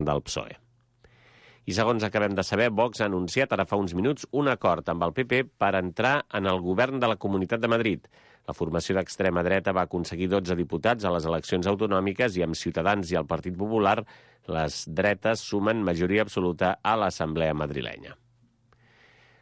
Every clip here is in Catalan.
del PSOE. I segons acabem de saber, Vox ha anunciat ara fa uns minuts un acord amb el PP per entrar en el govern de la Comunitat de Madrid. La formació d'extrema dreta va aconseguir 12 diputats a les eleccions autonòmiques i amb Ciutadans i el Partit Popular les dretes sumen majoria absoluta a l'Assemblea madrilenya.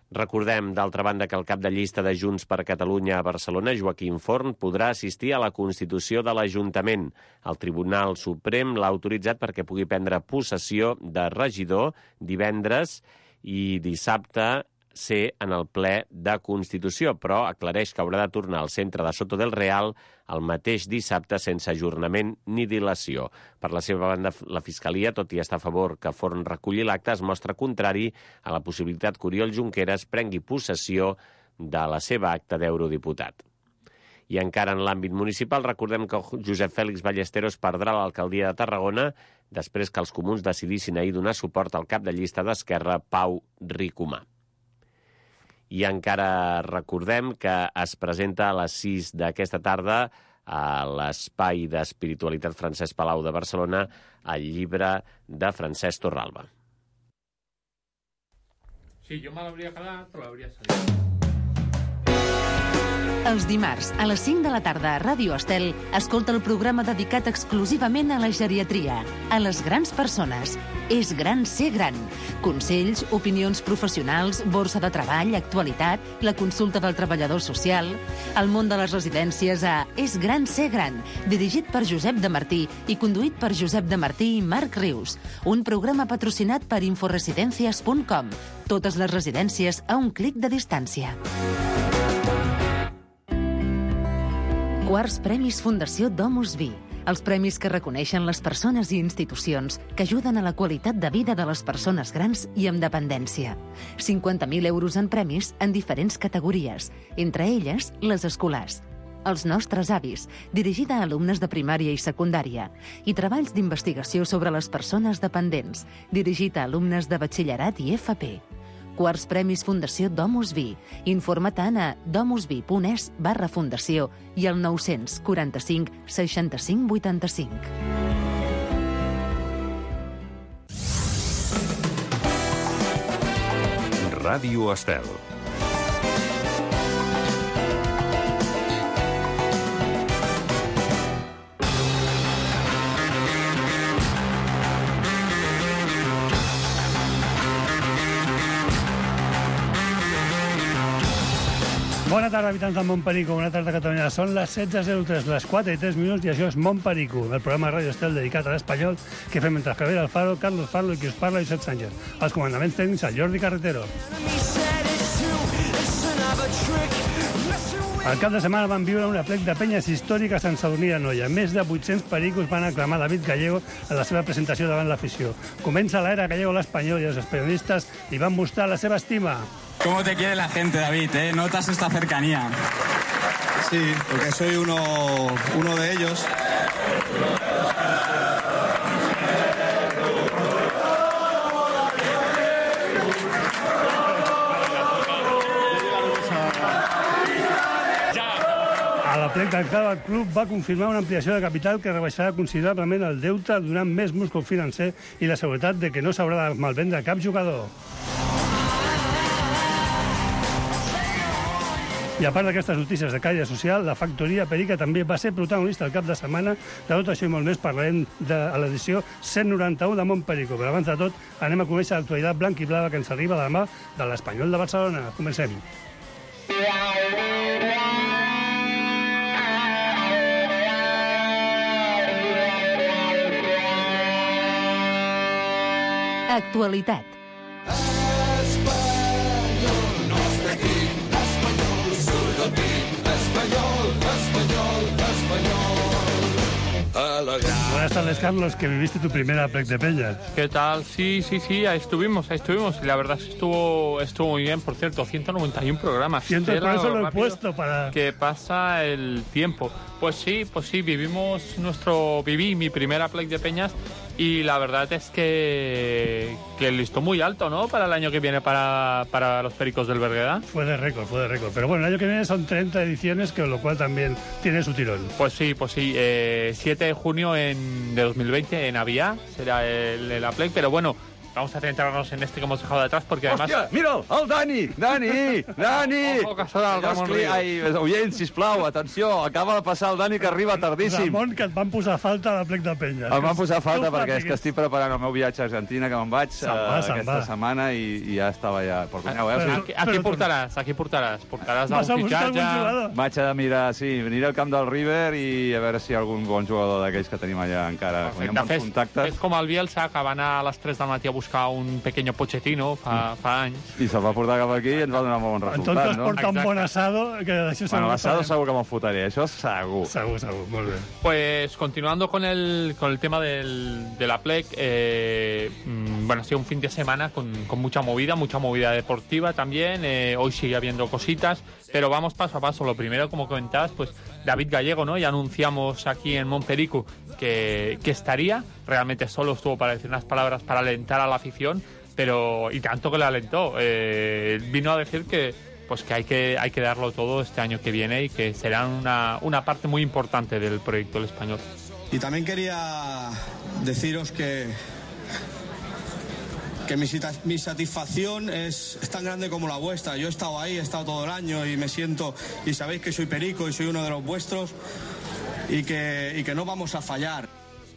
Recordem, d'altra banda, que el cap de llista de Junts per Catalunya a Barcelona, Joaquim Forn, podrà assistir a la constitució de l'Ajuntament. El Tribunal Suprem l'ha autoritzat perquè pugui prendre possessió de regidor divendres i dissabte ser en el ple de Constitució, però aclareix que haurà de tornar al centre de Soto del Real el mateix dissabte sense ajornament ni dilació. Per la seva banda, la Fiscalia, tot i estar a favor que Forn reculli l'acte, es mostra contrari a la possibilitat que Oriol Junqueras prengui possessió de la seva acta d'eurodiputat. I encara en l'àmbit municipal, recordem que Josep Fèlix Ballesteros perdrà l'alcaldia de Tarragona després que els comuns decidissin ahir donar suport al cap de llista d'Esquerra, Pau Ricomà. I encara recordem que es presenta a les 6 d'aquesta tarda a l'Espai d'Espiritualitat Francesc Palau de Barcelona el llibre de Francesc Torralba. Sí, jo me l'hauria quedat, però l'hauria salit. Els dimarts, a les 5 de la tarda a Ràdio Estel, escolta el programa dedicat exclusivament a la geriatria, a les grans persones. És gran ser gran. Consells, opinions professionals, borsa de treball, actualitat, la consulta del treballador social, el món de les residències a És gran ser gran, dirigit per Josep de Martí i conduït per Josep de Martí i Marc Rius. Un programa patrocinat per inforesidencias.com. Totes les residències a un clic de distància. Quarts Premis Fundació Domus Vi. Els premis que reconeixen les persones i institucions que ajuden a la qualitat de vida de les persones grans i amb dependència. 50.000 euros en premis en diferents categories, entre elles les escolars. Els nostres avis, dirigida a alumnes de primària i secundària, i treballs d'investigació sobre les persones dependents, dirigit a alumnes de batxillerat i FP. Quarts Premis Fundació Domus Vi. Informa-te'n a domusvi.es/fundació i al 945 65 85. Ràdio Estel. Bona tarda, habitants del Montperico, bona tarda, Catalunya. Són les 16:03, les 4:03, i això és Montperico, el programa de Ràdio Estel dedicat a l'espanyol que fem entre Javier Alfaro, Carlos Farlo i qui us parla, Josep Sánchez. Els comandaments tècnics, el Jordi Carretero. El cap de setmana van viure una plec de penyes històriques a Sant Sadurní d'Anoia. Més de 800 pericos van aclamar David Gallego en la seva presentació davant l'afició. Comença l'era Gallego l'Espanyol i els periodistes li van mostrar la seva estima. ¿Cómo te quiere la gente, David? ¿Notas esta cercanía? Sí, porque soy uno de ellos. A la plec del Club va confirmar una ampliació de capital que rebaixarà considerablement el deute, donant més múscul financer i la seguretat de que no s'haurà de malvendre cap jugador. I a part d'aquestes notícies de caire social, la factoria Perica també va ser protagonista el cap de setmana. De tot això i molt més parlarem de l'edició 191 de Montperico. Però abans de tot anem a conèixer l'actualitat blanc i blava que ens arriba de la mà de l'Espanyol de Barcelona. Comencem. Actualitat. Buenas tardes, Carlos, que viviste tu primera plec de peñas. ¿Qué tal? Sí, ahí estuvimos. Y la verdad es que estuvo muy bien. Por cierto, 191 programas. Por eso lo he puesto para... Que pasa el tiempo. Pues sí, viví mi primera play de peñas y la verdad es que el listón muy alto, ¿no? Para el año que viene para los Pericos del Berguedà. Fue de récord. Pero bueno, el año que viene son 30 ediciones, con lo cual también tiene su tirón. Pues sí. 7 de junio de 2020 en Avià será la play, pero bueno, vamos a centrarnos en este que hemos dejado de atrás porque además... Hòstia, mira'l, el Dani! Ojo, que serà el Ramon Ríos. Ai, oients, sisplau, atenció, acaba de passar el Dani, que arriba tardíssim. Ramon, que et van posar falta a la plec de penya. Em van posar falta perquè és que estic preparant el meu viatge a Argentina, que me'n vaig aquesta setmana i ja estava ja... Aquí portaràs? Portaràs algun fitxatge? Vaig a mirar, sí, venir al camp del River i a veure si hi ha algun bon jugador d'aquells que tenim allà encara. És com el Bielsa, que va anar a les 3 del matí a buscar un pequeño Pochettino fa anys. I se'l va portar cap aquí i ens va donar molt bon resultat, no? En tot cas porta un bon asado, que d'això segur. Bueno, l'asado segur que me'n fotré, això segur. Segur, molt bé. Pues continuando con el tema de la plec, bueno, ha sido un fin de semana con mucha movida deportiva también. Hoy sigue habiendo cositas, pero vamos paso a paso. Lo primero, como comentabas, pues David Gallego, ¿no? Ya anunciamos aquí en Montperico que estaría. Realmente solo estuvo para decir unas palabras para alentar a la afición, pero y tanto que le alentó. Vino a decir que hay que darlo todo este año que viene y que será una parte muy importante del proyecto El Español. Y también quería deciros que mi satisfacción es tan grande como la vuestra. Yo he estado ahí, he estado todo el año y me siento, y sabéis que soy perico y soy uno de los vuestros y que no vamos a fallar.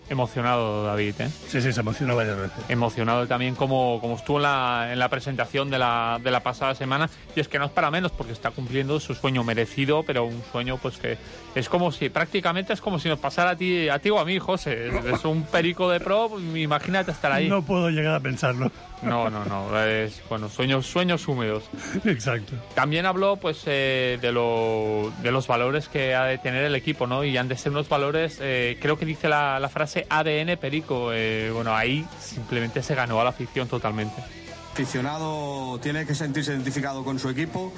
Emocionado, David, ¿eh? Sí, se emocionó varias veces. Emocionado también como estuvo en la presentación de la pasada semana. Y es que no es para menos, porque está cumpliendo su sueño merecido, pero un sueño pues que es como si, prácticamente es como si nos pasara a ti o a mí, José. Es un perico de pro, pues, imagínate estar ahí. No puedo llegar a pensarlo. No. Es, bueno, sueños húmedos. Exacto. También habló pues de los valores que ha de tener el equipo, ¿no? Y han de ser unos valores, creo que dice la frase ADN Perico. Bueno, ahí simplemente se ganó a la afición totalmente. El aficionado tiene que sentirse identificado con su equipo.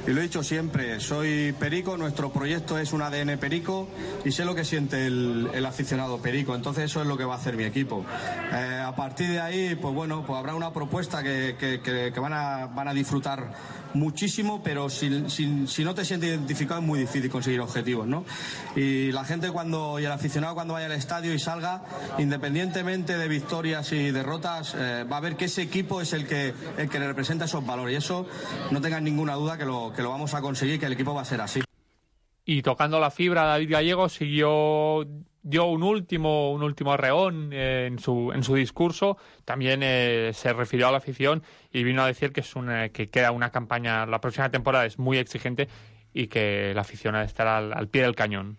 Y lo he dicho siempre, soy perico, nuestro proyecto es un ADN perico y sé lo que siente el aficionado perico, entonces eso es lo que va a hacer mi equipo. A partir de ahí, pues bueno, pues habrá una propuesta que van a disfrutar muchísimo, pero si no te sientes identificado es muy difícil conseguir objetivos, ¿no? Y la gente y el aficionado cuando vaya al estadio y salga, independientemente de victorias y derrotas, va a ver que ese equipo es el que le representa esos valores, y eso no tengan ninguna duda que lo vamos a conseguir, que el equipo va a ser así. Y tocando la fibra, David Gallego dio un último arreón en su discurso. También se refirió a la afición y vino a decir que queda una campaña, la próxima temporada es muy exigente y que la afición ha de estar al pie del cañón.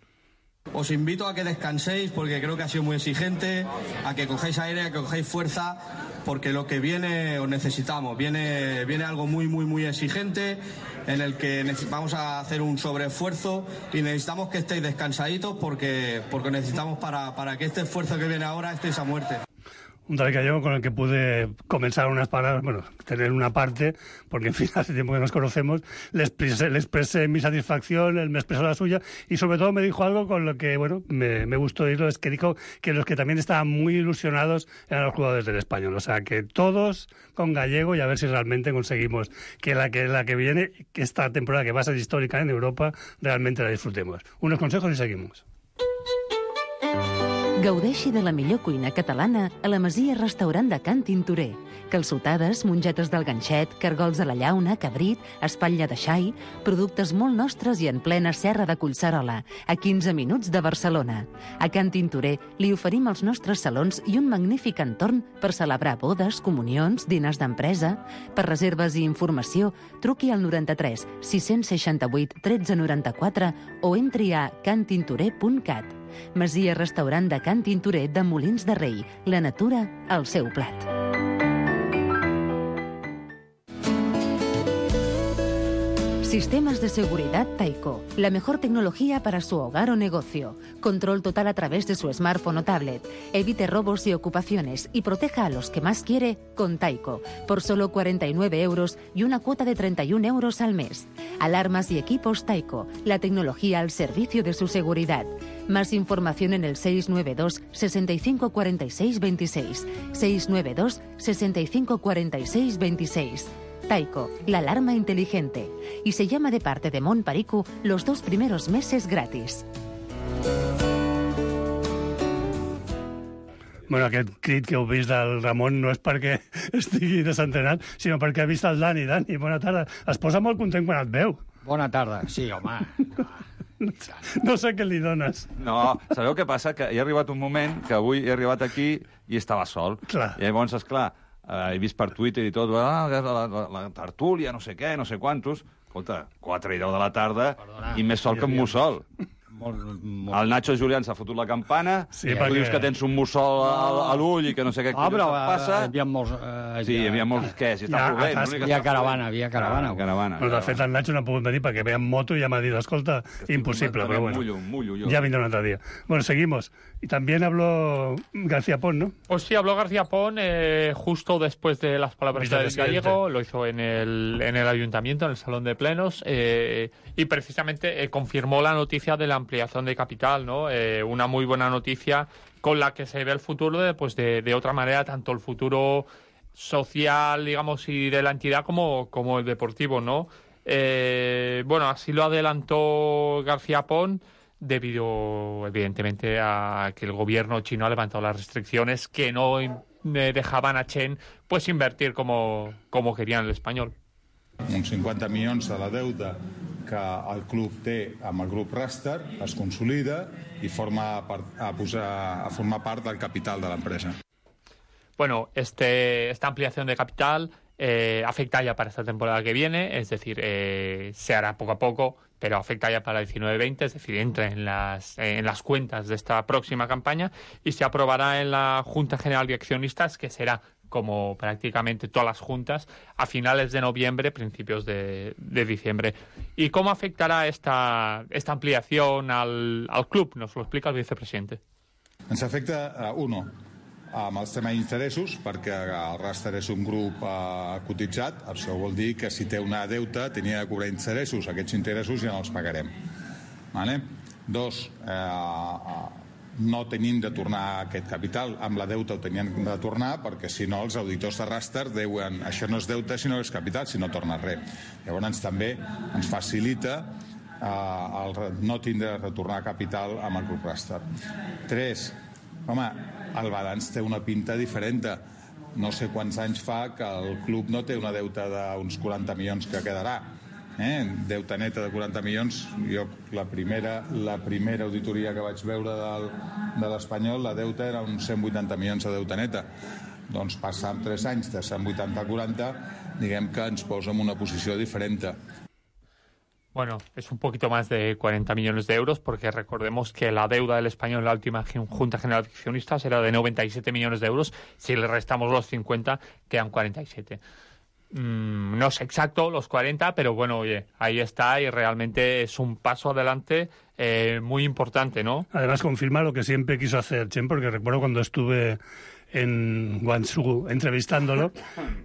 Os invito a que descanséis porque creo que ha sido muy exigente, a que cojáis aire, a que cojáis fuerza, porque lo que viene os necesitamos. Viene algo muy exigente en el que vamos a hacer un sobreesfuerzo y necesitamos que estéis descansaditos porque necesitamos para que este esfuerzo que viene ahora estéis a muerte. Un David Gallego con el que pude comenzar unas palabras, bueno, tener una parte, porque en fin, hace tiempo que nos conocemos, le expresé mi satisfacción, él me expresó la suya, y sobre todo me dijo algo con lo que, bueno, me gustó oírlo, es que dijo que los que también estaban muy ilusionados eran los jugadores del Español, o sea, que todos con Gallego y a ver si realmente conseguimos que la que viene, que esta temporada que va a ser histórica en Europa, realmente la disfrutemos. Unos consejos y seguimos. Gaudeixi de la millor cuina catalana a la Masia Restaurant de Can Tintorer. Calçotades, mongetes del ganxet, cargols de la llauna, cabrit, espatlla de xai, productes molt nostres i en plena serra de Collserola, a 15 minuts de Barcelona. A Can Tintorer li oferim els nostres salons i un magnífic entorn per celebrar bodes, comunions, dinars d'empresa. Per reserves i informació, truqui al 93 668 1394 o entri a cantintorer.cat. Masia Restaurant de Can Tintorer de Molins de Rei. La natura al seu plat. Sistemas de seguridad Taiko. La mejor tecnología para su hogar o negocio. Control total a través de su smartphone o tablet. Evite robos y ocupaciones y proteja a los que más quiere con Taiko. Por solo 49 euros y una cuota de 31 euros al mes. Alarmas y equipos Taiko. La tecnología al servicio de su seguridad. Más información en el 692 65 46 26. 692 65 46 26. Taiko, la alarma inteligente. Y se llama de parte de Mont Perico los 2 primeros meses gratis. Bueno, aquest crit que heu vist del Ramon no és perquè estigui desentrenat, sinó perquè ha vist el Dani. Dani, bona tarda. Es posa molt content quan et veu. Bona tarda, sí, home. No sé què li dones. No, sabeu què passa? Que hi ha arribat un moment que avui he arribat aquí i estava sol. Clar. I llavors, esclar, he vist per Twitter i tot, la tertúlia, no sé què, no sé quantos. Escolta, 4 i 10 de la tarda. Perdona. I més sol que un mussol. El Nacho Julián s'ha fotut la campana, sí, perquè... tu dius que tens un mussol a l'ull i que no sé què però passa. Hi havia molts... Sí, hi havia molts... Què? Si està plovent. Hi havia caravana. Però de fet el Nacho no ha pogut venir perquè ve amb moto i ja m'ha dit, escolta, imposible, però bueno. Mullo yo. Ya vendrá un otro día. Bueno, seguimos. Y también habló García Pons, ¿no? Pues sí, habló García Pons justo después de las palabras del gallego, lo hizo en el ayuntamiento, en el salón de plenos, y precisamente confirmó la noticia de la ampliación de capital, ¿no? Una muy buena noticia con la que se ve el futuro de otra manera, tanto el futuro social, digamos, y de la entidad como el deportivo, ¿no? Bueno, así lo adelantó García Pons, debido, evidentemente, a que el gobierno chino ha levantado las restricciones que no dejaban a Chen pues invertir como querían el Espanyol. Uns 50 milions de la deuta que el club té amb el grup Raster es consolida i formar part del capital de l'empresa. Bueno, esta ampliación de capital afecta ya para esta temporada que viene, es decir, se hará poco a poco, pero afecta ya para el 19-20, es decir, entra en las cuentas de esta próxima campaña y se aprobará en la Junta General de Accionistas, que será, como prácticamente todas las juntas, a finales de noviembre, principios de diciembre. ¿Y cómo afectará esta ampliación al club? Nos lo explica el vicepresidente. Ens afecta, amb els temes d'interessos, perquè el Raster és un grup cotitzat. Això vol dir que si té una deuta tenia de cobrar interessos. Aquests interessos ja no els pagarem. Vale? 2, no tenim de tornar aquest capital. Amb la deuta ho tenien de tornar, perquè si no els auditors de Raster diuen això no és deuta sinó és capital, si no torna res. Llavors també ens facilita no tindre de retornar capital amb el grup Raster. 3, el balanç té una pinta diferent. No sé quants anys fa que el club no té una deuta d'uns 40 milions que quedarà. Deuta neta de 40 milions. Jo, la primera auditoria que vaig veure de l'Espanyol, la deuta era uns 180 milions de deuta neta. Doncs passar 3 anys de 180 a 40, diguem que ens posa en una posició diferent. Bueno, es un poquito más de 40 millones de euros, porque recordemos que la deuda del Espanyol en la última Junta General de Accionistas era de 97 millones de euros. Si le restamos los 50, quedan 47. No es exacto los 40, pero bueno, oye, ahí está y realmente es un paso adelante muy importante, ¿no? Además confirma lo que siempre quiso hacer Chen, porque recuerdo cuando estuve en Guangzhou entrevistándolo,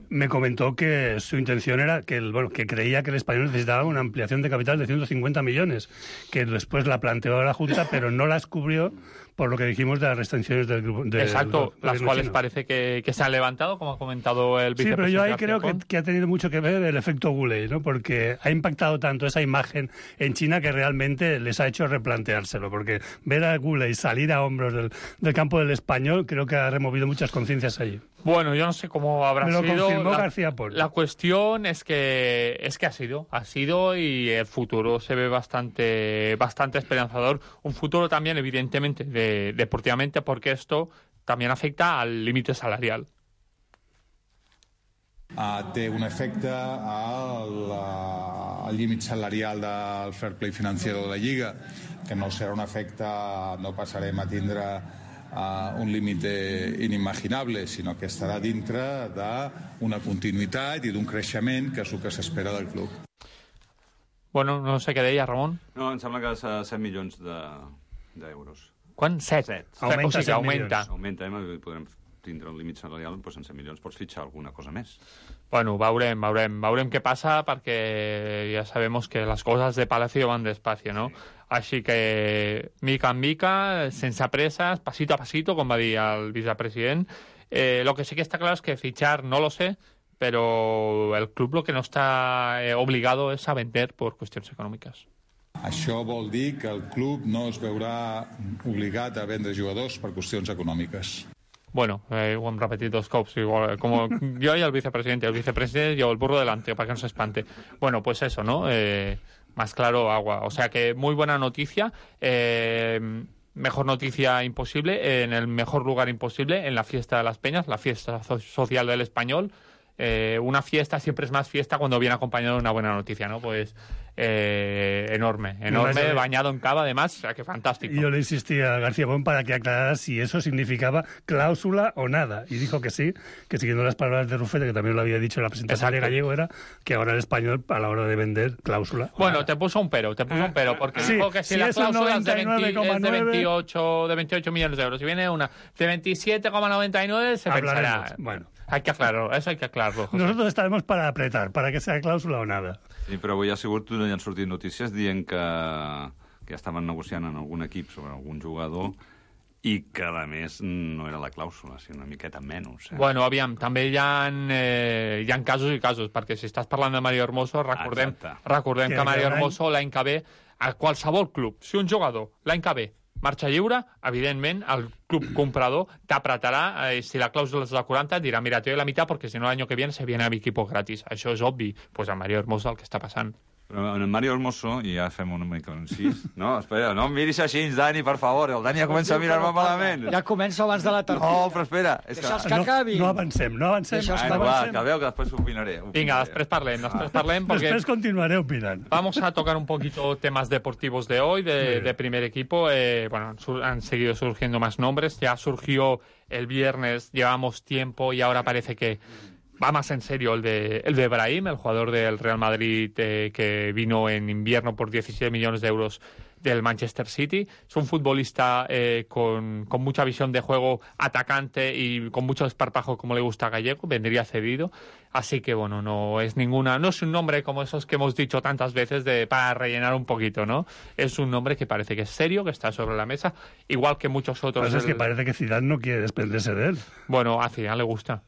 me comentó que su intención era que creía que el Espanyol necesitaba una ampliación de capital de 150 millones, que después la planteó a la Junta, pero no las cubrió por lo que dijimos de las restricciones del grupo. Exacto, las cuales chino. Parece que se han levantado, como ha comentado el vicepresidente. Sí, pero yo ahí creo que ha tenido mucho que ver el efecto Guley, ¿no? Porque ha impactado tanto esa imagen en China que realmente les ha hecho replanteárselo, porque ver a Guley salir a hombros del campo del Espanyol creo que ha removido muchas conciencias allí. Bueno, yo no sé cómo habrá sido. Me lo confirmó García Pons. La cuestión es que ha sido y el futuro se ve bastante esperanzador. Un futuro también, evidentemente, deportivamente, porque esto también afecta al límite salarial. Té un efecte al límit salarial del fair play financiero de la Lliga, que no serà un efecte, no passarem a tindre un límit inimaginable, sinó que estarà dintre d'una continuïtat i d'un creixement que és el que s'espera del club. Bueno, no sé què deia, Ramon. No, em sembla que és 7 milions d'euros. Quan? 7? Augmenta, o sigui, augmenta. Augmenta, podrem tindre un límit salarial, doncs en 100 milions pots fitxar alguna cosa més. Bueno, veurem què passa, perquè ja sabemos que les coses de Palacio van despacio, ¿no? Així que, mica en mica, sense presses, pasito a pasito, com va dir el vicepresident. Lo que sí que está claro es que fichar no lo sé, pero el club lo que no está obligado es a vender por cuestiones econòmiques. Això vol dir que el club no es veurà obligat a vendre jugadors per qüestions econòmiques. Bueno, ho hem repetit 2 cops, igual, como yo y el vicepresidente llevo el burro delante para que no se espante. Bueno, pues eso, ¿no? Más claro, agua. O sea que muy buena noticia, mejor noticia imposible, en el mejor lugar imposible, en la fiesta de las Peñas, la fiesta social del Español. Una fiesta siempre es más fiesta cuando viene acompañado de una buena noticia, ¿no? Pues enorme, bañado en cava, además, o sea, que fantástico. Yo le insistí a García Bon para que aclarara si eso significaba cláusula o nada, y dijo que sí, que siguiendo las palabras de Rufete, que también lo había dicho en la presentación de Gallego, era que ahora el Español, a la hora de vender, cláusula. Bueno, te puso un pero, porque sí, dijo que si la cláusula es de 28 millones de euros, si viene una de 27,99, se pensará... Bueno. Hay que aclararlo, eso hay que aclararlo, José. Nosotros estaremos para apretar, para que sea cláusula o nada. Sí, però avui ha sortit notícies dient que ja estaven negociant en algun equip sobre algun jugador i que, a més, no era la clàusula, sinó una miqueta menys. Bueno, aviam, també hi ha casos i casos, perquè si estàs parlant de Mario Hermoso, recordem que Mario Hermoso l'any que ve, a qualsevol club, si un jugador l'any que ve marxa lliure, evidentment, el club comprador t'apretarà, si la clàusula és de 40, et dirà, mira, te doy la mitad porque si no el año que viene se viene a mi equipo gratis. Això és obvi. Pues a Mario Hermoso el que està passant. Però en Mario Hermoso, i ja fem una mica un incís, no, espera, no em miris així, Dani, per favor, el Dani ja comença a mirar-me malament. Ja comença abans de la tertúlia. No, però espera. Deixa'ls que acabin. No avancem. Acabeu, que després opinaré. Vinga, després parlem, porque... Después continuaré opinando. Vamos a tocar un poquito temas deportivos de hoy, de primer equipo. Bueno, han seguido surgiendo más nombres. Ya surgió el viernes, llevamos tiempo y ahora parece que va más en serio el de Brahim, el jugador del Real Madrid que vino en invierno por 17 millones de euros del Manchester City. Es un futbolista con mucha visión de juego, atacante y con mucho desparpajo, como le gusta a Gallego. Vendría cedido. Así que, bueno, no es un nombre como esos que hemos dicho tantas veces para rellenar un poquito, ¿no? Es un nombre que parece que es serio, que está sobre la mesa, igual que muchos otros. Pues es que parece que Zidane no quiere desprenderse de él. Bueno, a Zidane le gusta.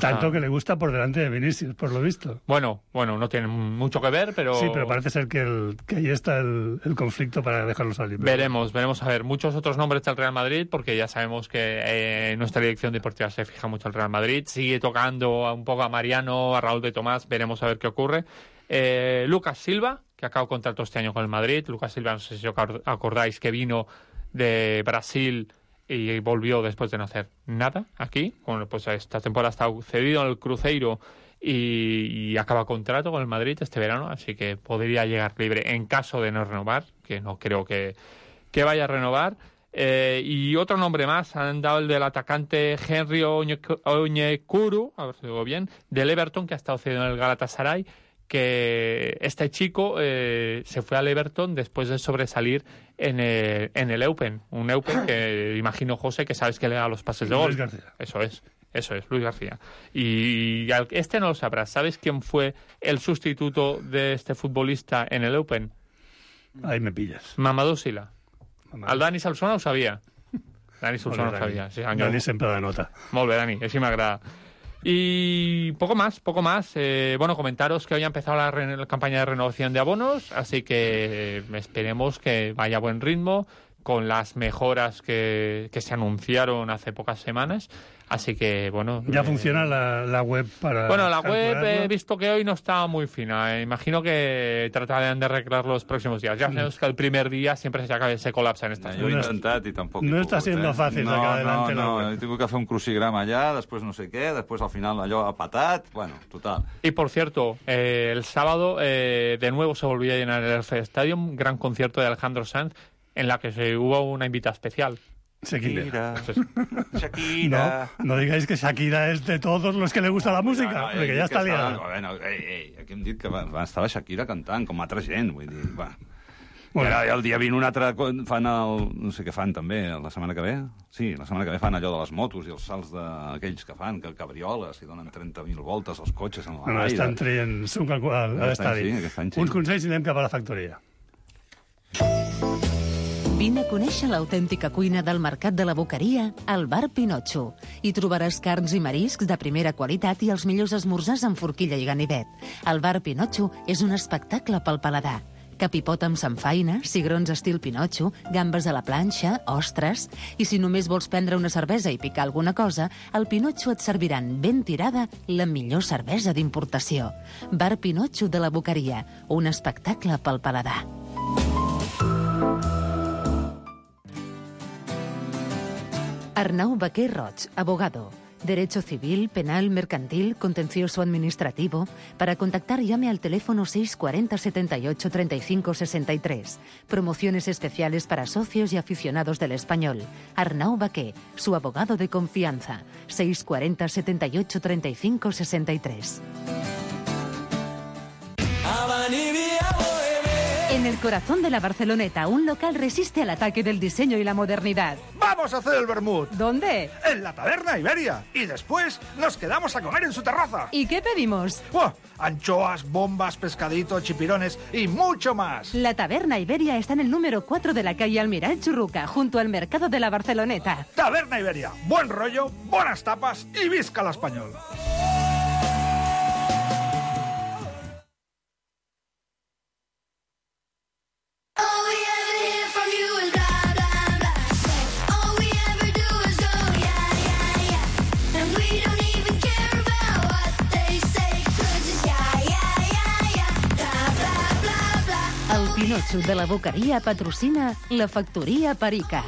Tanto que le gusta por delante de Vinicius, por lo visto. Bueno, no tiene mucho que ver, pero... Sí, pero parece ser que ahí está el conflicto para dejarlo salir. Veremos a ver muchos otros nombres del Real Madrid, porque ya sabemos que nuestra dirección deportiva se fija mucho al Real Madrid. Sigue tocando un poco a Mariano, a Raúl de Tomás, veremos a ver qué ocurre. Lucas Silva, que acabó contrato este año con el Madrid. Lucas Silva, no sé si os acordáis, que vino de Brasil y volvió después de no hacer nada aquí. Bueno, pues esta temporada ha estado cedido en el Cruzeiro y acaba contrato con el Madrid este verano, así que podría llegar libre en caso de no renovar, que no creo que vaya a renovar. Y otro nombre más, han dado el del atacante Henry Onyekuru, a ver si digo bien, del Everton, que ha estado cedido en el Galatasaray, que este chico se fue al Everton después de sobresalir en el Eupen, un Eupen que imagino, José, que sabes que le da los pases de gol. Luis García. Eso es, Luis García. Y este no lo sabrás, ¿sabes quién fue el sustituto de este futbolista en el Eupen? Ahí me pillas. Mamadou Sila. El Dani Solsona ho sabia. Dani Solsona ho sabia. Sí, Dani sempre de nota. Molt bé, Dani, així m'agrada. Y poco más. Bueno, comentaros que hoy ha empezado la campaña de renovación de abonos, así que esperemos que vaya a buen ritmo, con las mejoras que se anunciaron hace pocas semanas. Así que, bueno... ¿Ya funciona la web para...? Bueno, la web he visto que hoy no está muy fina. Imagino que tratarán de arreglar los próximos días. Ya sabemos que el primer día siempre se colapsa en estas coses. Jo he intentat i tampoc no està siendo fácil sacar adelante la web. He tingut que fer un crucigrama allà, després no sé què, després al final allò ha patat, bueno, total. Y por cierto, el sábado de nuevo se volvió a llenar el Stadium, gran concierto de Alejandro Sanz, en la que hubo una invitada especial. Shakira. No digáis que Shakira es de todos los que le gusta la música, perquè ja està liada. Bueno, aquí hem dit que estava Shakira cantant, com altra gent, vull dir, va. I ara el dia 20 un altre fan no sé què fan també, la setmana que ve. Sí, la setmana que ve fan allò de les motos i els salts d'aquells que fan, que cabrioles i donen 30.000 voltes als cotxes en l'aire. Estan traient suc a l'estadi. Uns consells i anem cap a la factoria. Vine a conèixer l'autèntica cuina del Mercat de la Boqueria al Bar Pinotxo. Hi trobaràs carns i mariscs de primera qualitat i els millors esmorzars amb forquilla i ganivet. El Bar Pinotxo és un espectacle pel paladar. Capipot amb samfaina, cigrons estil Pinotxo, gambes a la planxa, ostres... I si només vols prendre una cervesa i picar alguna cosa, al Pinotxo et serviran ben tirada la millor cervesa d'importació. Bar Pinotxo de la Boqueria, un espectacle pel paladar. Arnau Baquer Roig, abogado. Derecho civil, penal, mercantil, contencioso administrativo. Para contactar llame al teléfono 640 78 35 63. Promociones especiales para socios y aficionados del español. Arnau Baquer, su abogado de confianza. 640 78 35 63. En el corazón de la Barceloneta, un local resiste al ataque del diseño y la modernidad. ¡Vamos a hacer el vermut! ¿Dónde? En la Taberna Iberia. Y después nos quedamos a comer en su terraza. ¿Y qué pedimos? ¡Oh! Anchoas, bombas, pescadito, chipirones y mucho más. La Taberna Iberia está en el número 4 de la calle Almirall Churruca, junto al mercado de la Barceloneta. Taberna Iberia. Buen rollo, buenas tapas y visca la español. El Pinotxo de la Boqueria patrocina la Factoría Perica.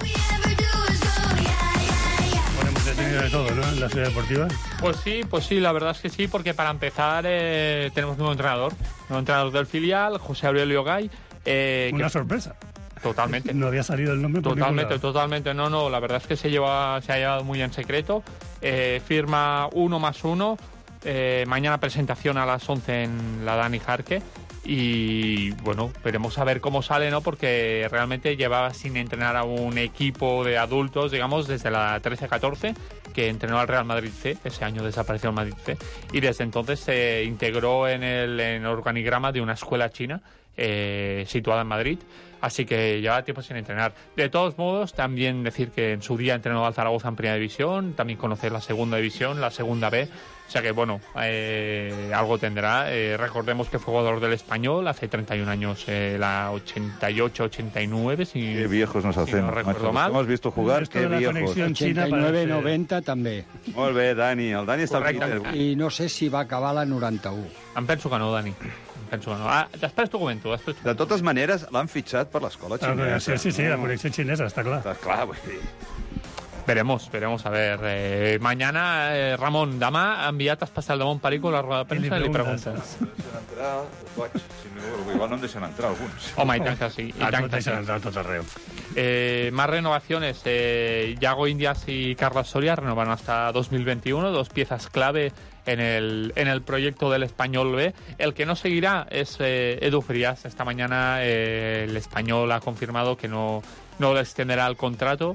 Hemos tenido de todo, ¿no? En la ciudad deportiva. Pues sí, la verdad es que sí, porque para empezar tenemos nuevo entrenador del filial, José Aurelio Gay. Una sorpresa. Totalmente. No había salido el nombre por Totalmente. No, la verdad es que se ha llevado muy en secreto. Firma 1+1. Mañana presentación a las 11 en la Dani Jarque. Y bueno, veremos a ver cómo sale, ¿no? Porque realmente llevaba sin entrenar a un equipo de adultos, digamos, desde la 13-14, que entrenó al Real Madrid C. Ese año desapareció el Madrid C. Y desde entonces se integró en el organigrama de una escuela china situada en Madrid. Así que lleva tiempo sin entrenar. De todos modos, también decir que en su día entrenó al Zaragoza en Primera División, también conocer la Segunda División, la Segunda B. O sea que, bueno, algo tendrá. Recordemos que fue jugador del Español hace 31 años, la 88-89, si qué viejos nos hacemos. No recuerdo mal. Hemos visto jugar, qué viejos. 89-90 també. Molt bé, Dani. El Dani està al Twitter. I no sé si va acabar la 91. Em penso que no, Dani. Després t'ho comento. De totes maneres, l'han fitxat per l'escola xinesa. Sí, la connexió xinesa, està clar. Està clar, vull dir. Veremos, a ver. Mañana, Ramon, demà enviat especial de Montperico a la roda de premsa i li preguntes. Igual no em deixen entrar alguns. Home, i tant que sí. No deixen entrar tot arreu. Más renovaciones. Yago Indias y Carlos Soria renovan hasta 2021, dos piezas clave en el proyecto del Español B. El que no seguirá es Edu Frías. Esta mañana el Español ha confirmado que no le extenderá el contrato.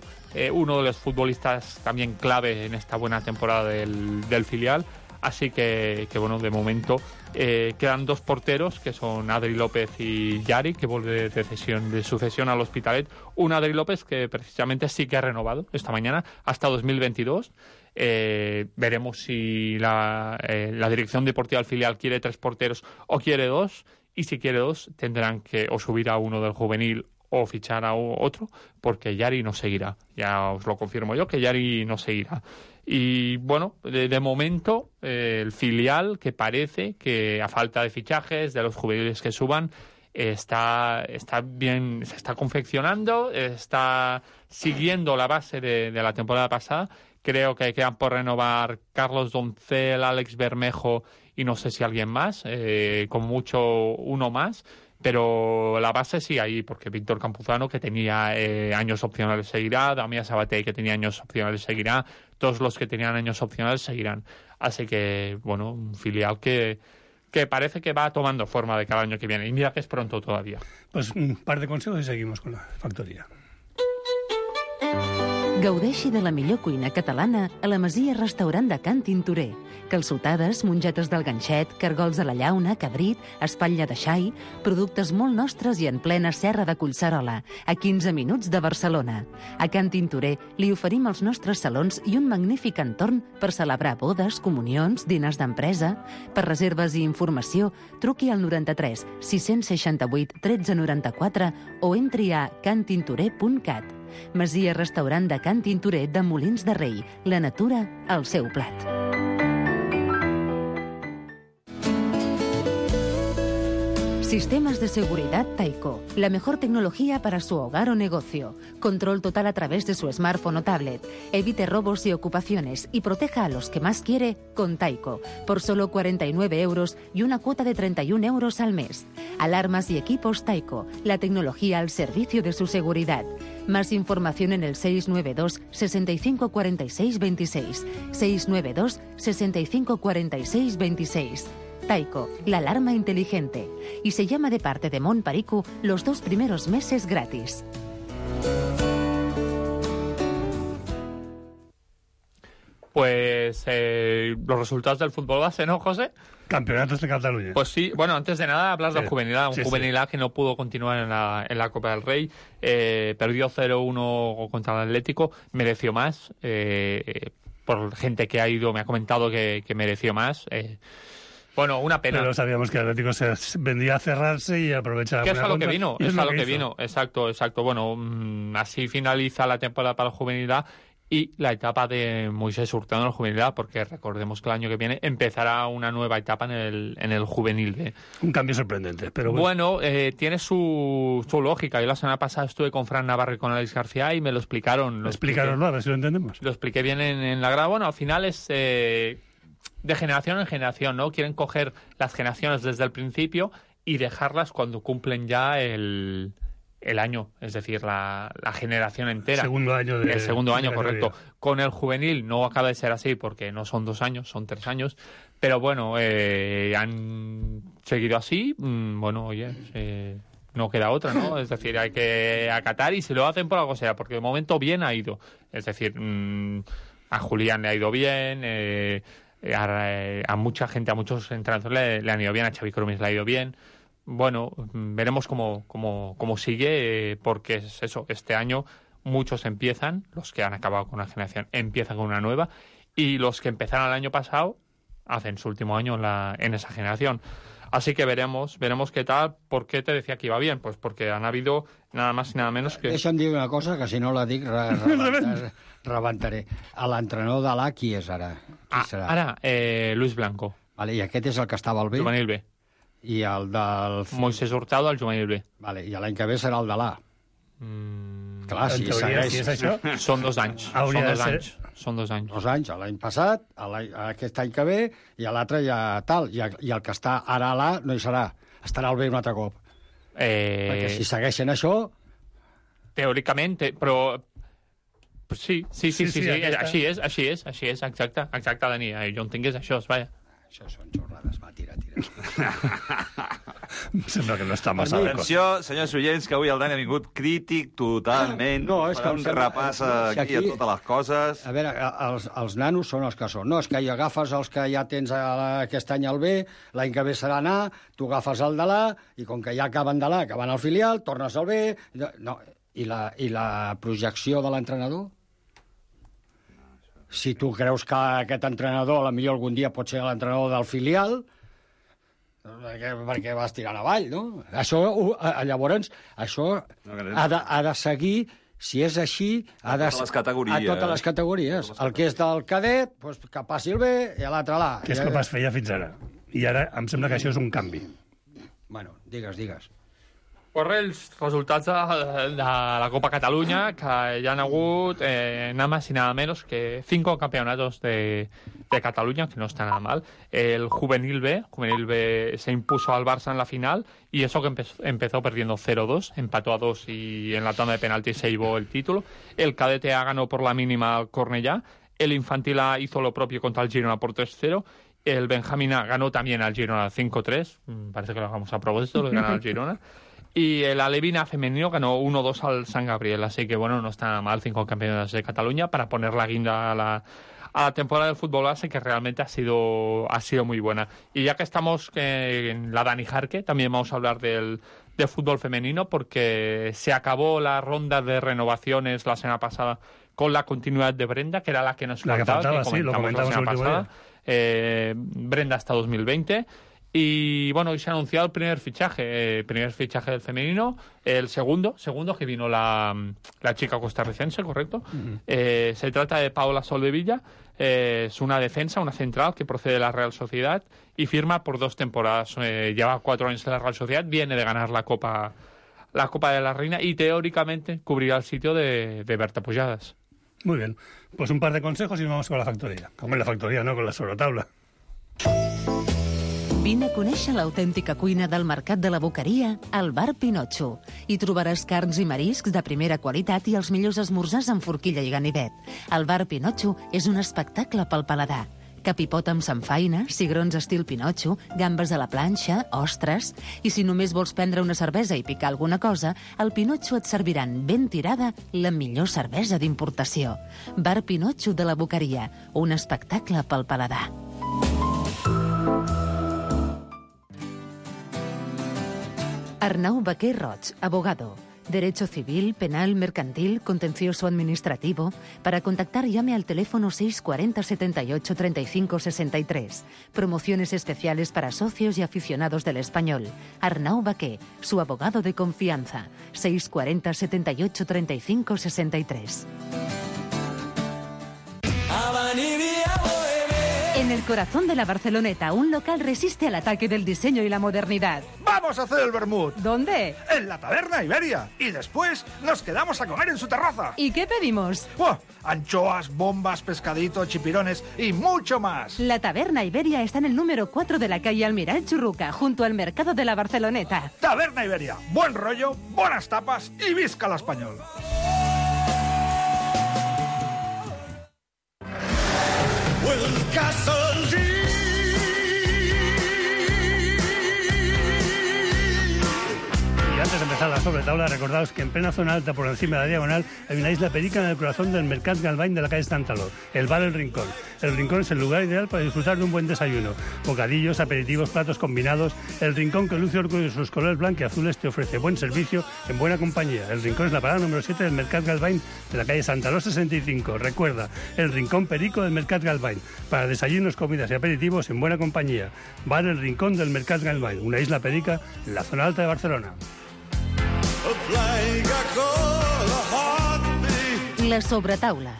Uno de los futbolistas también clave en esta buena temporada del filial. Así que bueno, de momento quedan dos porteros, que son Adri López y Yari, que vuelve de sucesión al Hospitalet. Un Adri López que precisamente sí que ha renovado esta mañana hasta 2022. Veremos si la dirección deportiva del filial quiere 3 porteros o quiere 2. Y si quiere 2, tendrán que o subir a uno del juvenil o fichar a otro, porque Yari no seguirá. Ya os lo confirmo yo, que Yari no seguirá. Y bueno, de momento el filial, que parece que a falta de fichajes, de los juveniles que suban, está bien, se está confeccionando, está siguiendo la base de la temporada pasada. Creo que quedan por renovar Carlos Doncel, Alex Bermejo y no sé si alguien más, con mucho uno más. Pero la base sí ahí, porque Víctor Campuzano, que tenía años opcionales, seguirá. Damián Sabaté, que tenía años opcionales, seguirá. Todos los que tenían años opcionales seguirán. Así que, bueno, un filial que parece que va tomando forma de cada año que viene. Y mira que es pronto todavía. Pues un par de consejos y seguimos con la factoria. Gaudeixi de la millor cuina catalana a la Masia Restaurant de Can Tintorer. Calçotades, mongetes del ganxet, cargols de la llauna, cabrit, espatlla de xai, productes molt nostres i en plena serra de Collserola, a 15 minuts de Barcelona. A Can Tintorer li oferim els nostres salons i un magnífic entorn per celebrar bodes, comunions, diners d'empresa. Per reserves i informació, truqui al 93 668 1394 o entri a cantintorer.cat. Masia Restaurant de Can Tintorer de Molins de Rei. La natura al seu plat. Sistemas de seguridad Taiko. La mejor tecnología para su hogar o negocio. Control total a través de su smartphone o tablet. Evite robos y ocupaciones y proteja a los que más quiere con Taiko. Por solo 49 euros y una cuota de 31 euros al mes. Alarmas y equipos Taiko. La tecnología al servicio de su seguridad. Más información en el 692 65 46 26. 692 65 46 26. Taiko, la alarma inteligente. Y se llama de parte de Mon Perico los 2 primeros meses gratis. Pues los resultados del fútbol base, ¿no, José? Campeonatos de Cataluña. Pues sí, bueno, antes de nada hablas del Juvenil A, Juvenil A que no pudo continuar en la Copa del Rey, perdió 0-1 contra el Atlético, mereció más, por gente que ha ido, me ha comentado que mereció más. Bueno, una pena. Pero sabíamos que el Atlético se vendía a cerrarse y aprovechar. Que es a lo que vino, exacto. Bueno, así finaliza la temporada para el Juvenil A y la etapa de Moisés Hurtado en el Juvenil A, porque recordemos que el año que viene empezará una nueva etapa en el Juvenil B. Un cambio sorprendente, pero bueno. Tiene su lógica. Yo la semana pasada estuve con Fran Navarro y con Alex García y me lo explicaron. Explícanoslo, a ver si lo entendemos. Lo expliqué bien en la grada. Bueno, al final es de generación en generación, ¿no? Quieren coger las generaciones desde el principio y dejarlas cuando cumplen ya el año, es decir, la generación entera. El segundo año, correcto. Con el juvenil no acaba de ser así porque no son 2 años, son 3 años. Pero bueno, han seguido así. Bueno, oye, no queda otra, ¿no? Es decir, hay que acatar y si lo hacen por algo sea, porque de momento bien ha ido. Es decir, a Julián le ha ido bien, a mucha gente, a muchos entrenadores le han ido bien, a Xavi Cromis le ha ido bien. Bueno, veremos cómo sigue, porque es eso, este año muchos empiezan, los que han acabado con una generación empiezan con una nueva, y los que empezaron el año pasado hacen su último año en esa generación. Así que veremos qué tal. ¿Por qué te decía que iba bien? Pues porque han habido nada más y nada menos que... Deixa'm dir una cosa, que si no la dic rebentaré. A l'entrenador de l'A, qui és ara? Qui serà? Ara, Luis Blanco. Vale, i aquest és el que estava al B? Juvenil B. I el del... Moisés Hurtado, el Juvenil B. Vale, i l'any que ve serà el de l'A. Clar, si segueix... Si és això... Són 2 anys. Són 2 anys. 2 anys, l'any passat, aquest any que ve, i l'altre ja tal. I el que està ara a l'A no hi serà. Estarà al B un altre cop. Perquè si segueixen això... Teòricament, però... Sí, així és, exacte, Dani. Jo entenc que és això, vaja. Això són xorrades, va, tira. Sembla que no està massa d'acord. Atenció, senyors oients, que avui el Dani ha vingut crític totalment. No, és que un repàs aquí a totes les coses. A veure, els nanos són els que són. No, és que hi agafes els que ja tens aquest any al B, l'any que ve serà A, tu agafes el de l'A, i com que ja acaben de l'A, que van al filial, tornes al B... No, i la projecció de l'entrenador? Si tu creus que aquest entrenador potser algun dia pot ser l'entrenador del filial, perquè vas tirant avall, no? Això, llavors, això ha de seguir, si és així, a totes les categories. El que és del cadet, doncs, que passi el B i l'altre l'A. Que és com es feia fins ara. I ara em sembla que això és un canvi. Bueno, digues. Corre els resultats de la Copa Cataluña, que ya han hagut nada más y nada menos que 5 campeonatos de Cataluña, que no está nada mal. El Juvenil B se impuso al Barça en la final, y eso que empezó perdiendo 0-2, empató a 2 y en la tanda de penaltis se llevó el título. El Cadete A ganó por la mínima al Cornellá. El Infantil A hizo lo propio contra el Girona por 3-0. El Benjamín A ganó también al Girona 5-3. Parece que lo hagamos a propósito, lo ganan al Girona. Y el Alevina femenino ganó 1-2 al San Gabriel. Así que, bueno, no está mal 5 campeonatos de Cataluña para poner la guinda a la temporada del fútbol base, que realmente ha sido muy buena. Y ya que estamos en la Dani Jarque, también vamos a hablar de fútbol femenino, porque se acabó la ronda de renovaciones la semana pasada con la continuidad de Brenda, que era la que nos faltaba, que lo comentamos la semana pasada. Brenda hasta 2020. Y bueno, hoy se ha anunciado el primer fichaje del femenino, el segundo que vino la chica costarricense, ¿correcto? Uh-huh. Se trata de Paola Soldevilla. Es una defensa, una central que procede de la Real Sociedad y firma por 2 temporadas. Lleva 4 años en la Real Sociedad, viene de ganar la Copa de la Reina y teóricamente cubrirá el sitio de Berta Pujadas. Muy bien, pues un par de consejos y nos vamos con la factoría. Con la factoría, no con la sobretaula. Vine a conèixer l'autèntica cuina del Mercat de la Boqueria al Bar Pinotxo. Hi trobaràs carns i mariscs de primera qualitat i els millors esmorzars amb forquilla i ganivet. El Bar Pinotxo és un espectacle pel paladar. Capipot amb samfaina, cigrons estil Pinotxo, gambes a la planxa, ostres... I si només vols prendre una cervesa i picar alguna cosa, al Pinotxo et serviran ben tirada la millor cervesa d'importació. Bar Pinotxo de la Boqueria, un espectacle pel paladar. Arnau Baquer Roig, abogado. Derecho civil, penal, mercantil, contencioso administrativo. Para contactar llame al teléfono 640 78 35 63. Promociones especiales para socios y aficionados del español. Arnau Baquer, su abogado de confianza. 640 78 35 63. En el corazón de la Barceloneta, un local resiste al ataque del diseño y la modernidad. ¡Vamos a hacer el vermut! ¿Dónde? En la Taberna Iberia. Y después nos quedamos a comer en su terraza. ¿Y qué pedimos? ¡Oh! Anchoas, bombas, pescadito, chipirones y mucho más. La Taberna Iberia está en el número 4 de la calle Almiral Churruca, junto al mercado de la Barceloneta. Taberna Iberia. Buen rollo, buenas tapas y visca la español. Y antes de empezar la sobretabla, recordaos que en plena zona alta, por encima de la diagonal, hay una isla perica en el corazón del Mercat Galvany de la calle Estantaló, el bar El Rincón. El Rincón es el lugar ideal para disfrutar de un buen desayuno. Bocadillos, aperitivos, platos combinados. El Rincón, que luce orgullo de sus colores blanquiazules, te ofrece buen servicio en buena compañía. El Rincón es la parada número 7 del Mercat Galvany de la calle Santaló 65. Recuerda, el Rincón Perico del Mercat Galvany. Para desayunos, comidas y aperitivos en buena compañía. Bar El Rincón del Mercat Galvany, una isla perica en la zona alta de Barcelona. La sobretaula.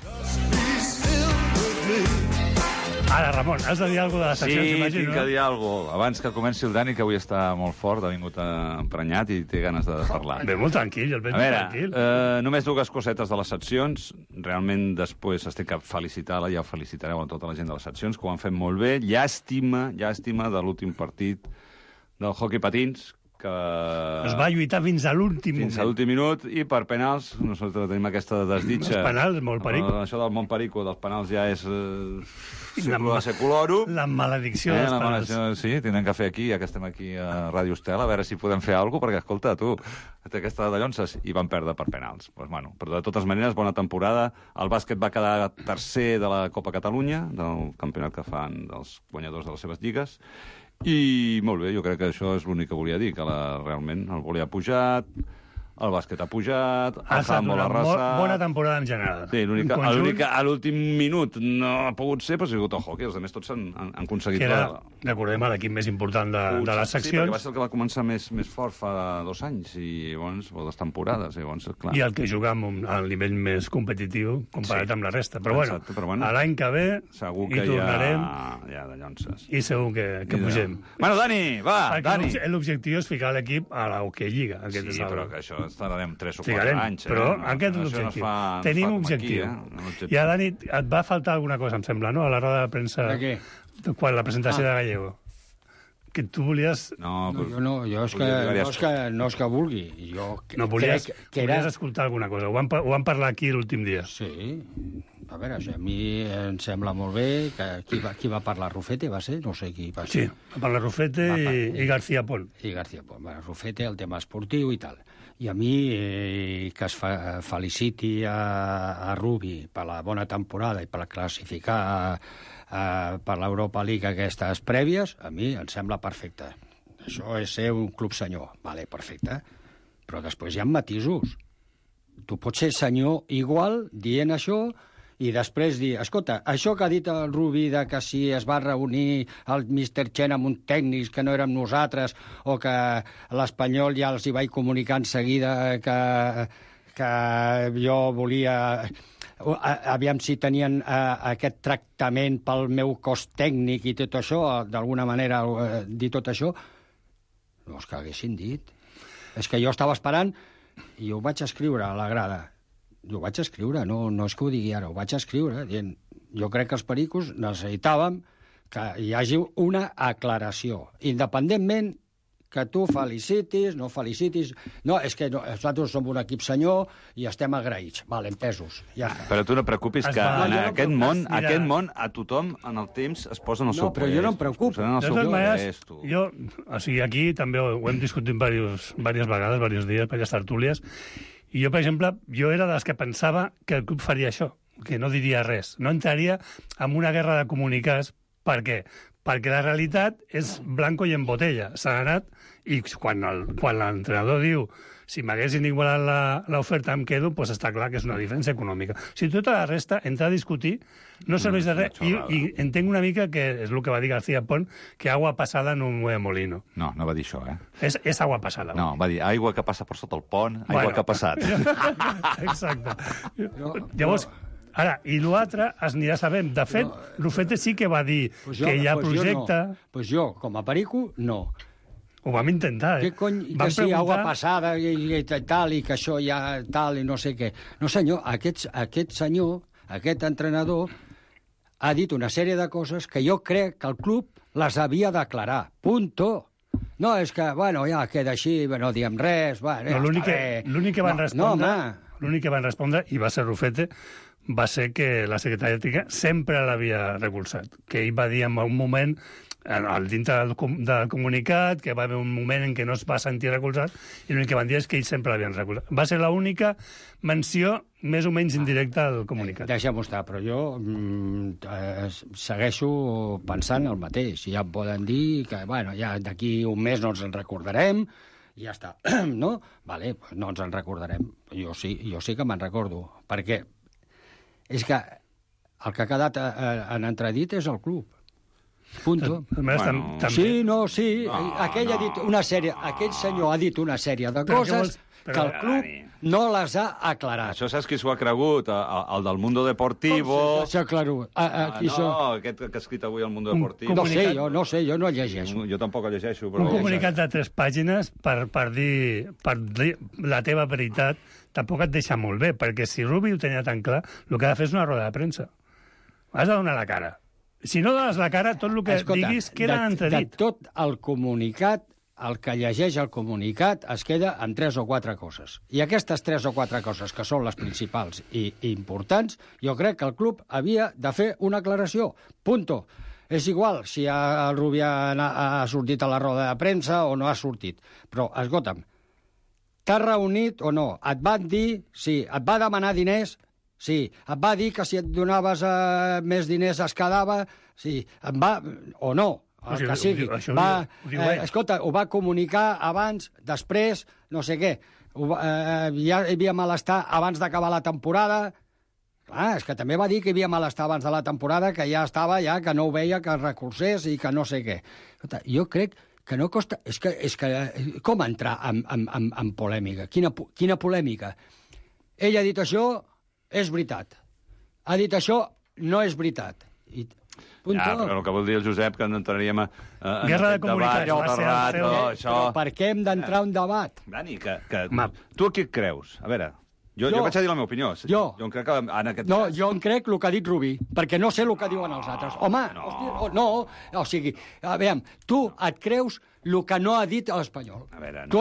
Ara, Ramon, has de dir alguna cosa de les seccions, Sí, imagino, tinc que dir alguna cosa. Abans que comenci el Dani, que avui està molt fort, ha vingut emprenyat i té ganes de parlar. Ve molt tranquil, el veig A veure, tranquil. només 2 cosetes de les seccions. Realment, després estic a felicitar-la, ja ho felicitareu a tota la gent de les seccions, que ho han fet molt bé. Llàstima de l'últim partit del hoquei patins, que Es va lluitar fins a l'últim moment. fins a l'últim minut, i per penals nosaltres tenim aquesta desditja. Els penals, molt perico. Això del Montperico, dels penals ja és seculoro. La maledicció dels la penals. maledicció, sí, tindrem que fer aquí, ja que estem aquí a Ràdio Estel, a veure si podem fer alguna cosa, perquè, escolta, tu, té aquesta de llonces, i van perdre per penals. Pues, bueno, però de totes maneres, bona temporada. El bàsquet va quedar tercer de la Copa Catalunya, del campionat que fan dels guanyadors de les seves lligues, i molt bé, jo crec que això és l'únic que volia dir, que realment el volia pujat, el bàsquet ha pujat, Ha el estat handball una ha arrasat... bona temporada en general. Sí, a l'últim minut no ha pogut ser, però ha sigut el hockey. Els altres tots han aconseguit... Que era, recordem, l'equip més important de les seccions. Sí, perquè va ser el que va començar més fort fa 2 anys, i llavors, o 2 temporades, i llavors, clar. I el que juga al nivell més competitiu comparat amb la resta. Però exacte, bueno, l'any que ve segur hi que tornarem hi ha de llonces. i segur que pugem. Bueno, Dani, va, Dani. L'objectiu és ficar l'equip a la Hockey Lliga. Sí, però que això estarem 3 o 4 anys. Però aquest és l'objectiu. Tenim objectiu. I a Dani, et va faltar alguna cosa, em sembla, no?, a la roda de premsa... De què? Quan la presentació de Gallego. Que tu volies... No, és que vulgui. Volies escoltar alguna cosa. Ho vam parlar aquí l'últim dia. Sí. A veure, a mi em sembla molt bé que qui va parlar? Rufete, va ser? No sé qui va ser. Sí, va parlar Rufete i García Pol. I García Pol. Rufete, el tema esportiu i tal. I a mi que es feliciti a Rubi per la bona temporada i per classificar per l'Europa League aquestes prèvies, a mi em sembla perfecte. Això és ser un club senyor. Vale, perfecte. Però després hi ha matisos. Tu pots ser senyor igual dient això i després dir, escolta, això que ha dit el Rubi de que si es va reunir el Mr. Chen amb un tècnic que no érem nosaltres, o que l'Espanyol ja els hi vaig comunicar en seguida que jo volia... Aviam si tenien aquest tractament pel meu cos tècnic i tot això, d'alguna manera dir tot això, no és que haguessin dit. És que jo estava esperant i ho vaig escriure a la grada. Jo ho vaig escriure, no és que ho digui ara, ho vaig escriure, dient, jo crec que els pericos necessitàvem que hi hagi una aclaració, independentment que tu felicitis, no felicitis... No, és que nosaltres som un equip senyor i estem agraïts. Vale, entesos, ja està. Però tu no preocupis que en aquest món a tothom en el temps es posa en el seu país. No, però jo no em preocupo. De totes maneres, jo, o sigui, aquí també ho hem discutit diverses vegades, diversos dies, per les tertúlies, i jo, per exemple, era de les que pensava que el club faria això, que no diria res. No entraria en una guerra de comunicats. Per què? Perquè la realitat és blanco i en botella. S'ha anat, i quan l'entrenador diu si m'haguessin igualat l'oferta em quedo, doncs està clar que és una diferència econòmica. Si tota la resta, entrar a discutir, no serveix de res. I entenc una mica que és el que va dir García Pont, que agua passada no mueve molino. No va dir això, És agua passada. No, va dir aigua que passa per sota el pont, aigua que ha passat. Exacte. Llavors, ara, i l'altre es anirà sabent. De fet, Rufete sí que va dir que hi ha projecte... Doncs jo, com a perico, no. Ho vam intentar, Què cony, que sí, aigua passada i tal, i que això ja tal, i no sé què. No, senyor, aquest senyor, aquest entrenador, ha dit una sèrie de coses que jo crec que el club les havia d'aclarar. Punto. No, és que, bueno, ja queda així, no diem res... L'únic que van respondre, i va ser Rufete, va ser que la secretària ètica sempre l'havia recolzat. Que ell va dir en un moment, dintre del comunicat, que va haver un moment en què no es va sentir recolzat, i l'únic que van dir és que ells sempre l'havien recolzat. Va ser l'única menció més o menys indirecta al comunicat. Deixa'm estar, però jo segueixo pensant el mateix. Ja em poden dir que, bueno, ja d'aquí un mes no ens en recordarem, i ja està, no? Vale, no ens en recordarem. Jo sí que me'n recordo, perquè és que el que ha quedat en entredit és el club. Punto. Aquell senyor ha dit una sèrie de coses que el club no les ha aclarat. Això saps qui s'ho ha cregut? El del Mundo Deportivo... Claro. Aquest que ha escrit avui el Mundo Deportivo. No sé, jo no llegeixo. Jo tampoc el llegeixo. Un comunicat de 3 pàgines per dir la teva veritat tampoc et deixa molt bé, perquè si Rubi ho tenia tan clar, el que ha de fer és una roda de premsa. Has de donar la cara. Si no dones la cara, tot el que diguis queda entredit. De tot el comunicat, el que llegeix el comunicat es queda amb 3 o 4 coses. I aquestes 3 o 4 coses, que són les principals i importants, jo crec que el club havia de fer una aclaració. Punto. És igual si el Rubi ha sortit a la roda de premsa o no ha sortit. Però, escolta'm, t'has reunit o no? Et van dir, sí, et va demanar diners... Sí, et va dir que si et donaves més diners es quedava, sí, et va... o no, el que sigui. Escolta, ho va comunicar abans, després, no sé què. hi havia malestar abans d'acabar la temporada. Clar, és que també va dir que hi havia malestar abans de la temporada, que ja estava, que no ho veia, que es recursés i que no sé què. Jo crec que no costa... És que com entrar en polèmica? Quina polèmica? Ell ha dit això, és veritat. Ha dit això, no és veritat. Però el que vol dir el Josep, que no entraríem a Guerra de comunicats. Però per què hem d'entrar a un debat? Dani, tu aquí et creus? A veure... Jo vaig a dir la meva opinió. Jo em crec que en aquest cas... Jo em crec el que ha dit Rubí, perquè no sé el que diuen els altres. Home, no. O sigui, a veure, tu et creus el que no ha dit l'Espanyol. A veure, no. Tu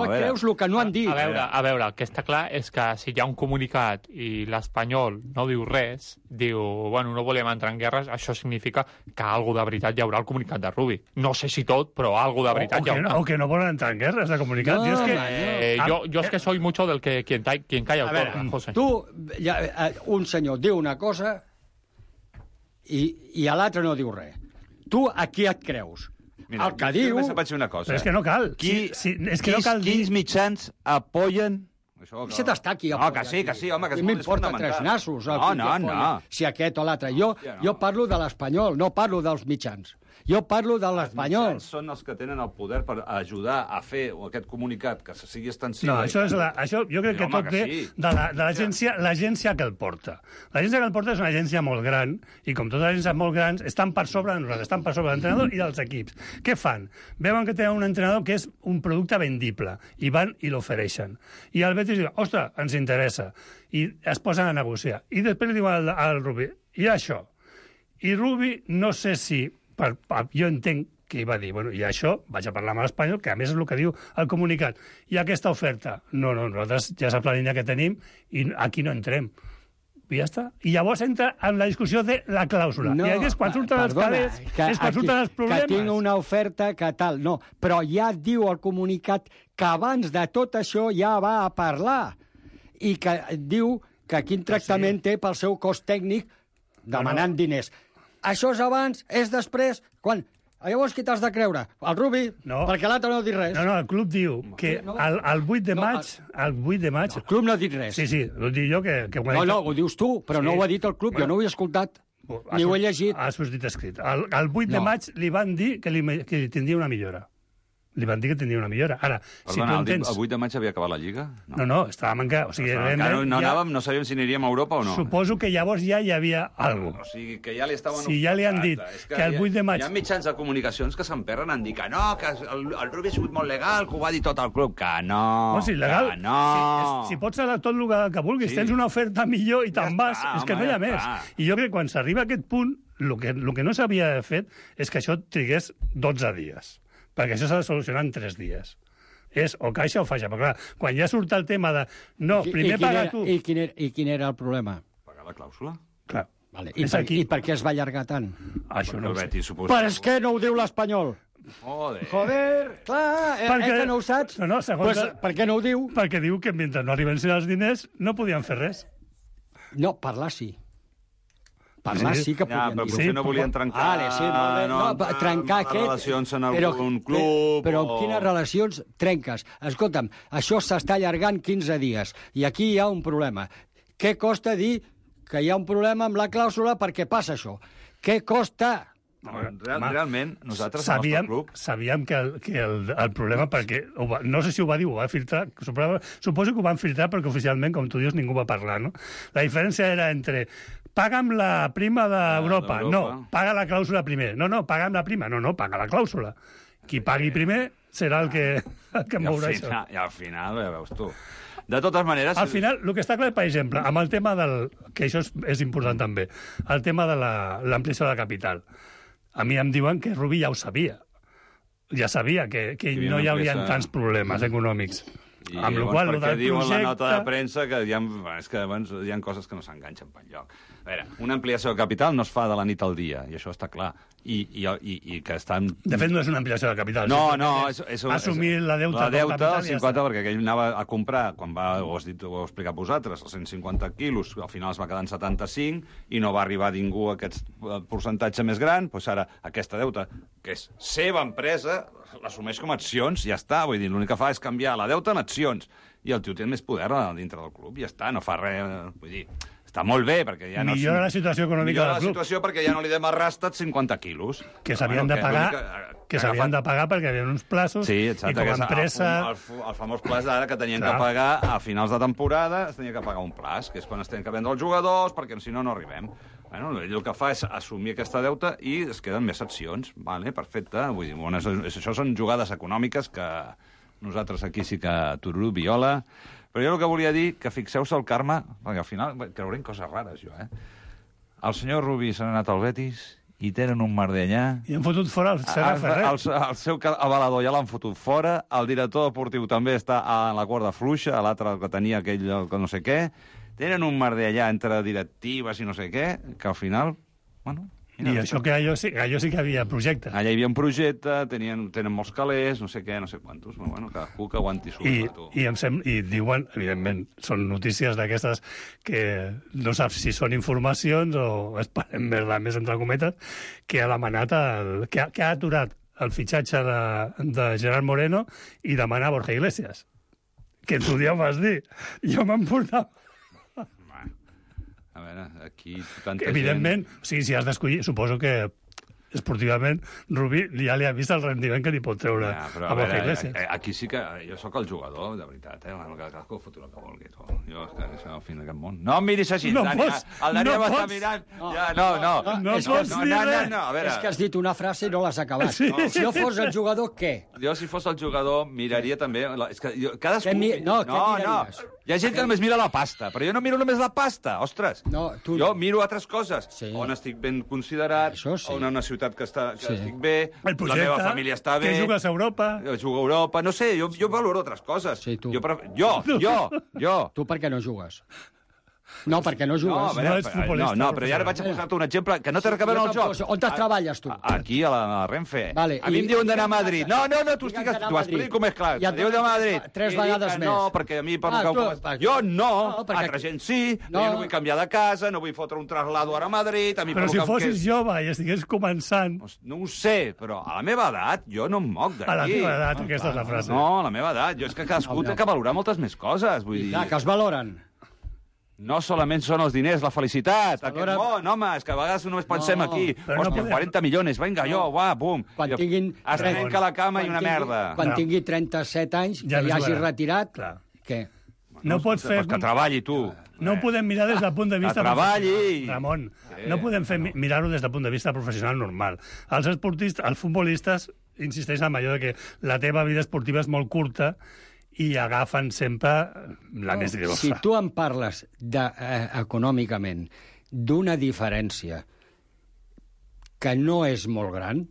et creus el que no han dit. A veure, el que està clar és que si hi ha un comunicat i l'Espanyol no diu res, diu, bueno, no volem entrar en guerres, això significa que alguna de veritat hi haurà al comunicat de Rubí. No sé si tot, però alguna de veritat hi haurà. O que no volen entrar en guerres, de comunicat. Yo es que soy mucho del que quien calla autor, José. Tu, un senyor diu una cosa i l'altre no diu res. Tu a qui et creus? Mira, el que diu... Només vaig dir una cosa. Però és que no cal. Quins mitjans apoyen... Això t'està aquí. Que sí, home, que és molt m'importa tres nassos. No. Si aquest o l'altre. Jo parlo de l'Espanyol, no parlo dels mitjans. Jo parlo de l'Espanyol. Els mitjans són els que tenen el poder per ajudar a fer aquest comunicat que sigui extensiu. No, això jo crec que tot ve de l'agència que el porta. L'agència que el porta és una agència molt gran i com totes les agències molt grans estan per sobre de nosaltres, estan per sobre de l'entrenador i dels equips. Què fan? Veuen que tenen un entrenador que és un producte vendible i van i l'ofereixen. I el Betis diu, ostres, ens interessa. I es posen a negociar. I després li diuen al Rubí, i això? I Rubí, no sé si... jo entenc que va dir, bueno, i això, vaig a parlar amb l'Espanyol, que a més és el que diu el comunicat. I aquesta oferta, no, nosaltres ja saps la línia que tenim i aquí no entrem. I ja està. I llavors entra en la discussió de la clàusula. I aquí és quan surten els calés, és quan surten els problemes. Que tinc una oferta que tal, no. Però ja diu el comunicat que abans de tot això ja va a parlar i que diu que quin tractament té pel seu cost tècnic demanant diners. Això és abans, és després, quan... Llavors qui t'has de creure? El Rubí? No. Perquè l'altre no ha dit res. No, el club diu que el 8 de maig... El 8 de maig... El club no ha dit res. Sí, ho dic jo que No, ho dius tu, però no ho ha dit el club, jo no ho he escoltat. Ni ho he llegit. Ha sortit escrit. El 8 de maig li van dir que li tindria una millora. Li van dir que tindria una millora. Ara, si tu entens... El 8 de maig havia acabat la Lliga? No, estàvem encara... O sigui, no sabíem si aniríem a Europa o no. Suposo que llavors ja hi havia alguna cosa. O sigui, que ja li estaven... Si ja li han dit que el 8 de maig... Hi ha mitjans de comunicacions que s'emperren en dir que no, que el Rubí ha sigut molt legal, que ho va dir tot el club. Que no, legal, que no. Si pots fer tot el que vulguis, tens una oferta millor i te'n vas, és que no hi ha més. I jo crec que quan s'arriba a aquest punt, el que no s'havia fet és que això trigués 12 dies. Perquè això s'ha de solucionar en 3 dies. És o caixa o faixa. Però clar, quan ja surt el tema de... No, primer paga tu... I quin era el problema? Pagar la clàusula. Clar. Vale. I per què es va allargar tant? Això no ho sé. Per què no ho diu l'Espanyol? Joder, clar, que no ho saps? No, segons... Per què no ho diu? Perquè diu que mentre no arriben els diners no podien fer res. No, parlar sí. Parlar sí que podien dir. Però potser no volien trencar... trencar què? Relacions en algun club... Però quines relacions trenques? Escolta'm, això s'està allargant 15 dies i aquí hi ha un problema. Què costa dir que hi ha un problema amb la clàusula perquè passa això? Què costa? Realment, nosaltres, al nostre club... Sabíem que el problema, perquè no sé si ho va dir o ho va filtrar, suposo que ho van filtrar perquè oficialment, com tu dius, ningú va parlar, no? La diferència era entre paga'm la prima d'Europa. No, paga la clàusula primer. No, paga la prima. No, paga la clàusula. Qui pagui primer serà el que mourà això. I al final, ja veus tu... De totes maneres... Al final, el que està clar, per exemple, amb el tema del... que això és important també, el tema de l'ampliació de la capital. A mi em diuen que Rubí ja ho sabia. Ja sabia que no hi haurien tants problemes econòmics. I amb llavors, perquè diuen la nota de premsa que hi ha coses que no s'enganxen per enlloc. A veure, una ampliació de capital no es fa de la nit al dia, i això està clar. I que estan... De fet, no és una ampliació de capital. No, és assumir la deuta. La deuta, el 50, perquè aquell anava a comprar, quan ho heu explicat vosaltres, els 150 quilos, al final es va quedar en 75, i no va arribar ningú a aquest percentatge més gran, doncs ara aquesta deuta, que és seva empresa, l'assumeix com a accions, ja està. Vull dir, l'únic que fa és canviar la deuta en accions. I el tio té més poder dintre del club, ja està, no fa res. Vull dir, està molt bé, perquè ja no... Millora la situació econòmica del club. Millora la situació perquè ja no li demarrastat 50 quilos. Que s'havien de pagar... Que s'havien de pagar perquè hi havia uns plaços, sí, exacte, i com a empresa... El famós plaç d'ara que tenien que pagar a finals de temporada, es tenia que pagar un plaç, que és quan es tenen que vendre els jugadors, perquè si no, no arribem. Bueno, ell el que fa és assumir aquesta deuta i es queden més accions. Vale, perfecte. Vull dir, bueno, això són jugades econòmiques que nosaltres aquí sí que tururú, viola. Però jo el que volia dir, que fixeu-se el karma, perquè al final creuré en coses rares, jo, El senyor Rubí s'ha anat al Betis i tenen un merder allà. I han fotut fora el Serra Ferrer. El seu avalador ja l'han fotut fora, el director deportiu també està a la corda fluixa, l'altre que tenia aquell que no sé què. Tenen un merder allà entre directives i no sé què, que al final, bueno... I això que allò sí que havia projecte. Allà hi havia un projecte, tenen molts calés, no sé què, no sé quantos, però bueno, cadascú que aguanti su. I diuen, evidentment, són notícies d'aquestes que no saps si són informacions o esperem més entre cometes, que ha demanat, que ha aturat el fitxatge de Gerard Moreno i demana Borja Iglesias. Que tu dia ho vas dir. Jo me'n portava... A veure, aquí tanta evidentment, gent... o sigui, si has d'escollir, suposo que esportivament Rubí ja li ha vist el rendiment que li pot treure a Borja Iglesias. Aquí sí que jo sóc el jugador, de veritat, cadascú fot el que vulgui. Jo és que això al fin d'aquest món. No em miris així, Dani. El Dani ja m'està mirant. No pots dir res. És que has dit una frase i no l'has acabat. Si jo fos el jugador, què? Jo, si fos el jugador, miraria també... És que cadascú... No, què miraries? Hi ha gent que només mira la pasta, però jo no miro només la pasta, ostres. Jo miro altres coses. On estic ben considerat, on una ciutat que estic bé, la meva família està bé... Que jugues a Europa. Jugo a Europa, no sé, jo valoro altres coses. Sí, tu. Jo. Tu per què no jugues? No, perquè no jugues. No, però ja ara vaig a posar-te un exemple que no té res a veure amb el joc. On treballes, tu? Aquí, a la Renfe. A mi em diuen d'anar a Madrid. No, tu ho explico com és clar. Em diuen d'anar a Madrid. 3 vegades més. No, perquè a mi... Jo no, altra gent sí, jo no vull canviar de casa, no vull fotre un traslado ara a Madrid... Però si fossis jove i estigués començant... No ho sé, però a la meva edat jo no em moc d'aquí. A la teva edat, aquesta és la frase. No, a la meva edat. Jo és que cadascú té que valorar moltes més coses, vull dir... Que es valoren. No solament són els diners, la felicitat. Aquest món, home, és que a vegades només pensem aquí. Hòstia, 40 milions, vinga, jo, bum. Quan tinguin... Es trenca la cama i una merda. Quan tingui 37 anys, que ja hagi retirat, què? No pots fer... Que treballi, tu. No ho podem mirar des del punt de vista... Que treballi! Ramon, no podem mirar-ho des del punt de vista professional normal. Els esportistes, els futbolistes, insisteixen en allò que la teva vida esportiva és molt curta i agafen sempre la més grossa. Si tu em parles econòmicament d'una diferència que no és molt gran,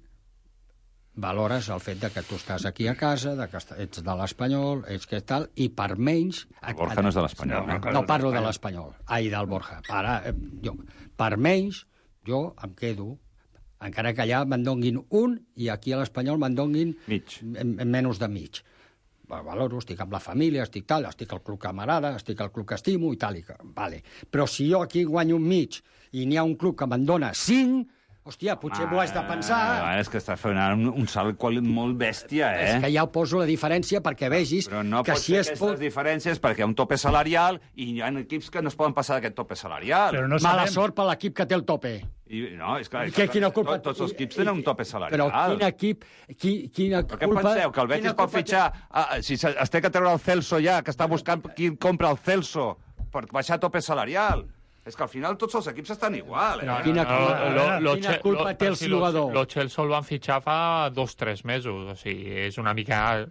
valores el fet de que tu estàs aquí a casa, de que ets de l'Espanyol, ets que tal, i per menys... El Borja no és de l'Espanyol. No parlo de l'Espanyol. Ai, del Borja. Per menys, jo em quedo, encara que allà me'n donguin un, i aquí a l'Espanyol me'n donguin menys de mig. Valoro, estic amb la família, estic al club que m'agrada, estic al club que estimo i tal. Vale. Però si jo aquí guanyo un mig i n'hi ha un club que me'n dona 5, hòstia, potser m'ho has de pensar. És que estàs fent un salt molt bèstia, És que ja poso la diferència perquè vegis però no que si és... Però no pot ser aquestes diferències perquè hi ha un tope salarial i hi ha equips que no es poden passar d'aquest tope salarial. Però no mala sort per l'equip que té el tope. No, és clar, quina culpa... tots els equips tenen un tope salarial. Però quin equip... Quina culpa... Què penseu? Que el Betis pot fitxar... Si es té que treure el Celso ja, que està buscant qui compra el Celso per baixar tope salarial. És que al final tots els equips estan igual. Quina culpa té el jugador? Lo Chelsea el van fitxar fa 2-3 mesos. O sigui, és una mica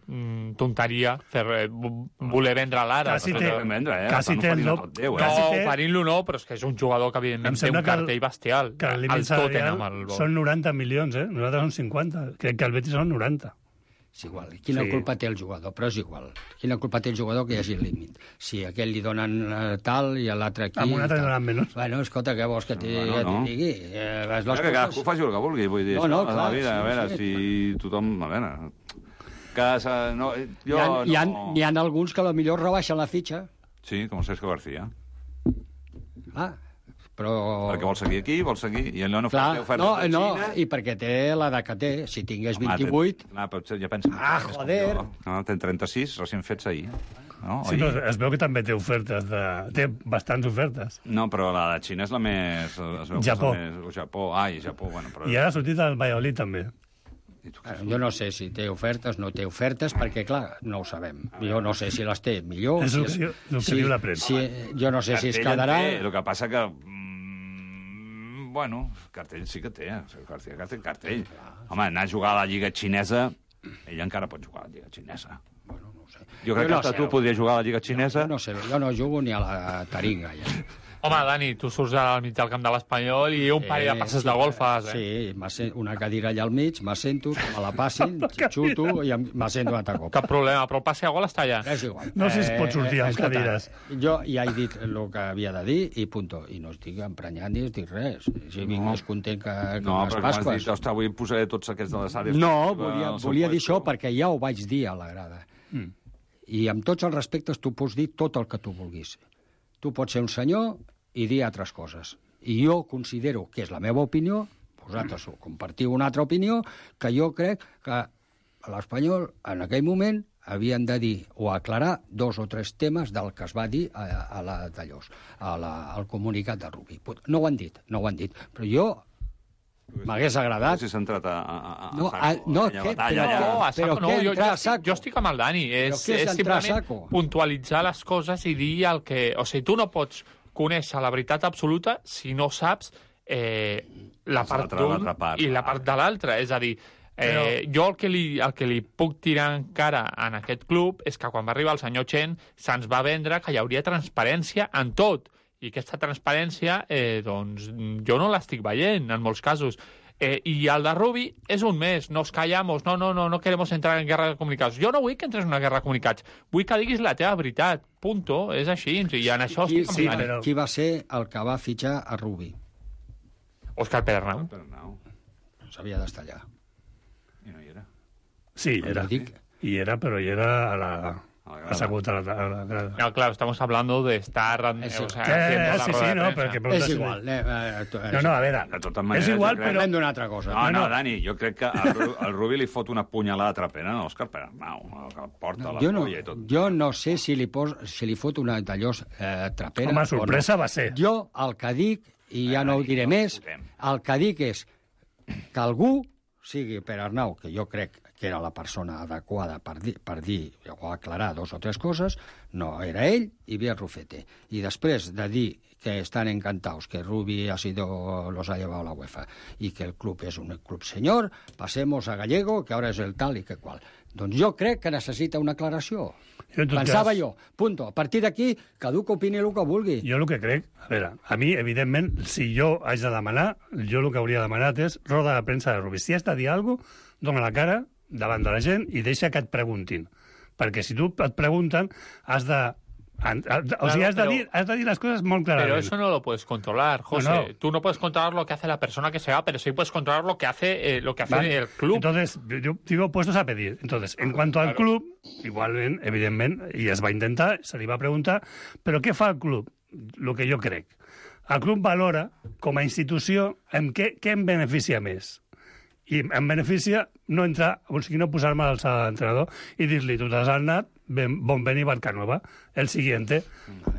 tonteria voler vendre l'ara. Quasi té el no, oferint-lo no, però és que és un jugador que evidentment té un cartell bestial. Que el límit salarial són 90 milions, Nosaltres som 50. Crec que el Betis són 90. És igual. Quina culpa té el jugador? Però és igual. Quina culpa té el jugador que hi hagi el límit? Si a aquell li donen tal i a l'altre aquí... A un altre li donen menys. Bueno, escolta, què vols que t'hi digui? Que cadascú faci el que vulgui, vull dir. No, clar. A veure, si tothom... A veure... N'hi ha alguns que potser rebaixen la fitxa. Sí, com Cesco García. però... Perquè vol seguir aquí, vol seguir... I allò no fa Clar, ofertes de Xina... i perquè té l'edat que té. Si tingués 28... Potser ja pensa... joder! No, ten 36, recient fets ahir. No? Sí, però es veu que també té ofertes. Té bastants ofertes. No, però la de Xina és la més... Japó. Japó. Japó, bueno. Però... I ara ha sortit el Valladolid, també. Jo no sé si té ofertes, no té ofertes, perquè, clar, no ho sabem. Jo no sé si les té millor... És el que diu la premsa. Jo no sé si es quedarà... El que passa que... Bueno, cartell sí que té. Cartell. Home, anar a jugar a la Lliga Xinesa... Ell encara pot jugar a la Lliga Xinesa. Bueno, no ho sé. Jo crec que tu podries jugar a la Lliga Xinesa. No sé, jo no jugo ni a la taringa, ja. Home, Dani, tu surts al mig del camp de l'Espanyol i un parell de passes de gol fas, Sí, una cadira allà al mig, m'assento, me la passin, xuto i m'assento un altre cop. Cap problema, però el passe a gol està allà. És igual. No sé si es pot sortir amb cadires. Jo ja he dit el que havia de dir i punto. I no estic emprenyant ni estic res. Si vinc més content que les Pasques. No, però dit, avui posaré tots aquests de les àrees... No, volia dir això perquè ja ho vaig dir a la grada. I amb tots els respectes tu pots dir tot el que tu vulguis. Tu pots ser un senyor i dir altres coses. I jo considero que és la meva opinió, vosaltres compartiu una altra opinió, que jo crec que l'Espanyol, en aquell moment, havien de dir o aclarar 2 o 3 temes del que es va dir al comunicat de Rubi. No ho han dit, però jo m'hagués agradat... Si s'ha entrat Jo estic amb el Dani. És simplement puntualitzar les coses i dir el que... O sigui, tu no pots conèixer la veritat absoluta si no saps la part d'un i la part de l'altre. És a dir, jo el que li puc tirar encara en aquest club és que quan va arribar el senyor Chen se'ns va vendre que hi hauria transparència en tot. I aquesta transparència, doncs, jo no l'estic veient, en molts casos. I el de Rubi és un més, nos callamos, no queremos entrar en guerra de comunicats. Jo no vull que entres en una guerra de comunicats, vull que diguis la teva veritat, punto, és així, i en això estic amb Dani. Qui va ser el que va fitxar a Rubi? Òscar Pedernau. S'havia d'estar allà. I no hi era. Sí, era. Hi era, però hi era a la... assegut a la grada. No, claro, estamos hablando de estar... Sí, no, perquè... És igual. No, a veure, és igual, però... Hem d'una altra cosa. No, Dani, jo crec que al Rubi li fot una punyalada trapera a l'Òscar Pedernau, que porta la polla i tot. Jo no sé si li fot una d'allò trapera. Home, sorpresa va ser. Jo el que dic, i ja no ho diré més, el que dic és que algú, sigui Pedernau, que jo crec que era la persona adequada per dir o aclarar 2 o 3 coses, no era ell, i ve Rufete. I després de dir que estan encantados, que Rubi los ha llevado a la UEFA, i que el club és un club senyor, passemos a Gallego, que ara és el tal i que qual. Doncs jo crec que necessita una aclaració. Pensava jo, punto. A partir d'aquí, cadascú opini el que vulgui. Jo el que crec, a veure, a mi, evidentment, si jo haig de demanar, jo el que hauria demanat és roda de premsa de Rubi. Si has de dir alguna cosa, dona la cara davant de la gent i deixa que et preguntin. Perquè si tu et pregunten, has de... O sea, has de dir las cosas muy claramente. Pero eso no lo puedes controlar, José. No. Tú no puedes controlar lo que hace la persona que se va, pero sí puedes controlar lo que hace ¿vale? El club. Entonces, yo digo puestos a pedir. Entonces, en cuanto al club, igualment, evidentment, i es va intentar, se li va preguntar, però què fa el club? Lo que jo crec. El club valora, com a institució, en què em beneficia més. I em beneficia no entrar, o sigui, no posar-me a l'entrenador i dir-li, tu t'has anat, bon veni barca nova, el siguiente.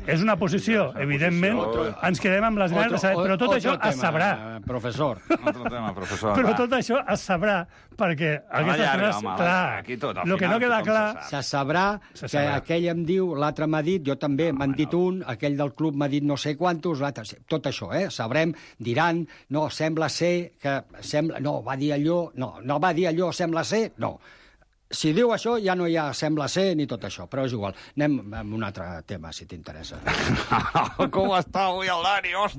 És una posició, evidentment, ens quedem amb les ganes de saber, però tot això es sabrà. Professor. Però tot això es sabrà, perquè aquestes coses, clar, el que no queda clar... Se sabrà que aquell em diu, l'altre m'ha dit, jo també m'han dit un, aquell del club m'ha dit no sé quantos, l'altre... Tot això, sabrem, diran, no, sembla ser que... No, va dir allò, no va dir allò, sembla ser, no. Si diu això, ja no hi ha sembla ser ni tot això, però és igual. Anem amb un altre tema, si t'interessa. Com està avui el Dani? Ostres,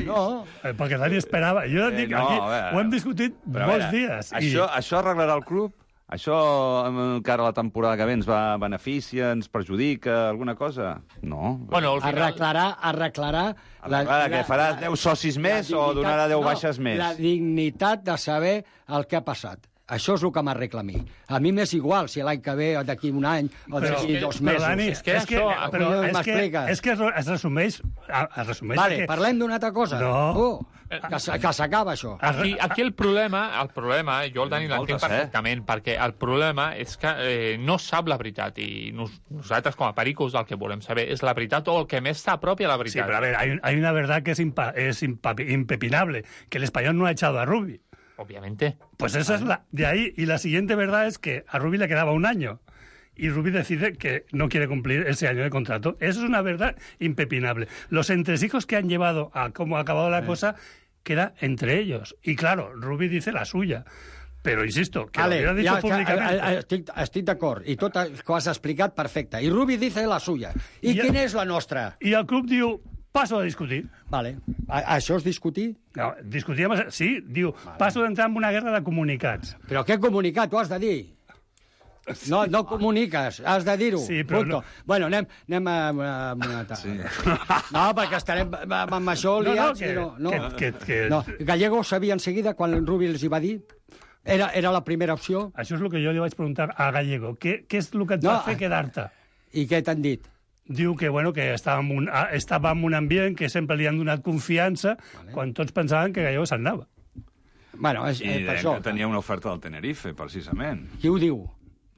no. Perquè Dani esperava. Jo et dic, aquí ho hem discutit molts dies. Això arreglarà el club? Això, encara la temporada que ve, ens va beneficia, ens perjudica, alguna cosa? No. Bueno, arreglarà... Que farà 10 socis més o donarà 10 baixes més? La dignitat de saber el que ha passat. Això és el que m'arregla a mi. A mi m'és igual si l'any que ve, d'aquí un any, o d'aquí 2 mesos. Dani, és que es resumeix... Vale, parlem d'una altra cosa. No. Que s'acaba això. Aquí el problema, jo el Dani l'entenc perfectament, perquè el problema és que no sap la veritat, i nosaltres com a pericos el que volem saber és la veritat o el que més s'apropia a la veritat. Sí, pero a ver, hay una verdad que es impepinable, que el español no ha echado a Rubi. Obviamente. Pues esa es de ahí, y la siguiente verdad es que a Rubi le quedaba un año. Y Rubi decide que no quiere cumplir ese año de contrato. Eso es una verdad impepinable. Los entresijos que han llevado a cómo ha acabado la cosa queda entre ellos. Y claro, Rubi dice la suya. Però, insisto, que vale, lo hubiera dicho públicamente. Estic d'acord. I tot el que has explicat, perfecte. I Rubi dice la suya. I quina és la nostra? I el club diu, paso a discutir. Vale. Això és discutir? No, discutíem... Sí, diu, vale. Paso d'entrar en una guerra de comunicats. Però què comunicat? Tu has de dir. No comuniques, has de dir-ho. Sí, però no. Bueno, anem a una altra. Sí. No, perquè estarem amb això liats. No, Gallego sabia enseguida quan Rubi els hi va dir. Era la primera opció. Això és el que jo li vaig preguntar a Gallego. Què és el que et va fer quedar-te? I què t'han dit? Diu que, bueno, que estava en un ambient que sempre li han donat confiança quan tots pensaven que Gallego se'n anava. Bueno, és per això. Que tenia una oferta del Tenerife, precisament. Qui ho diu?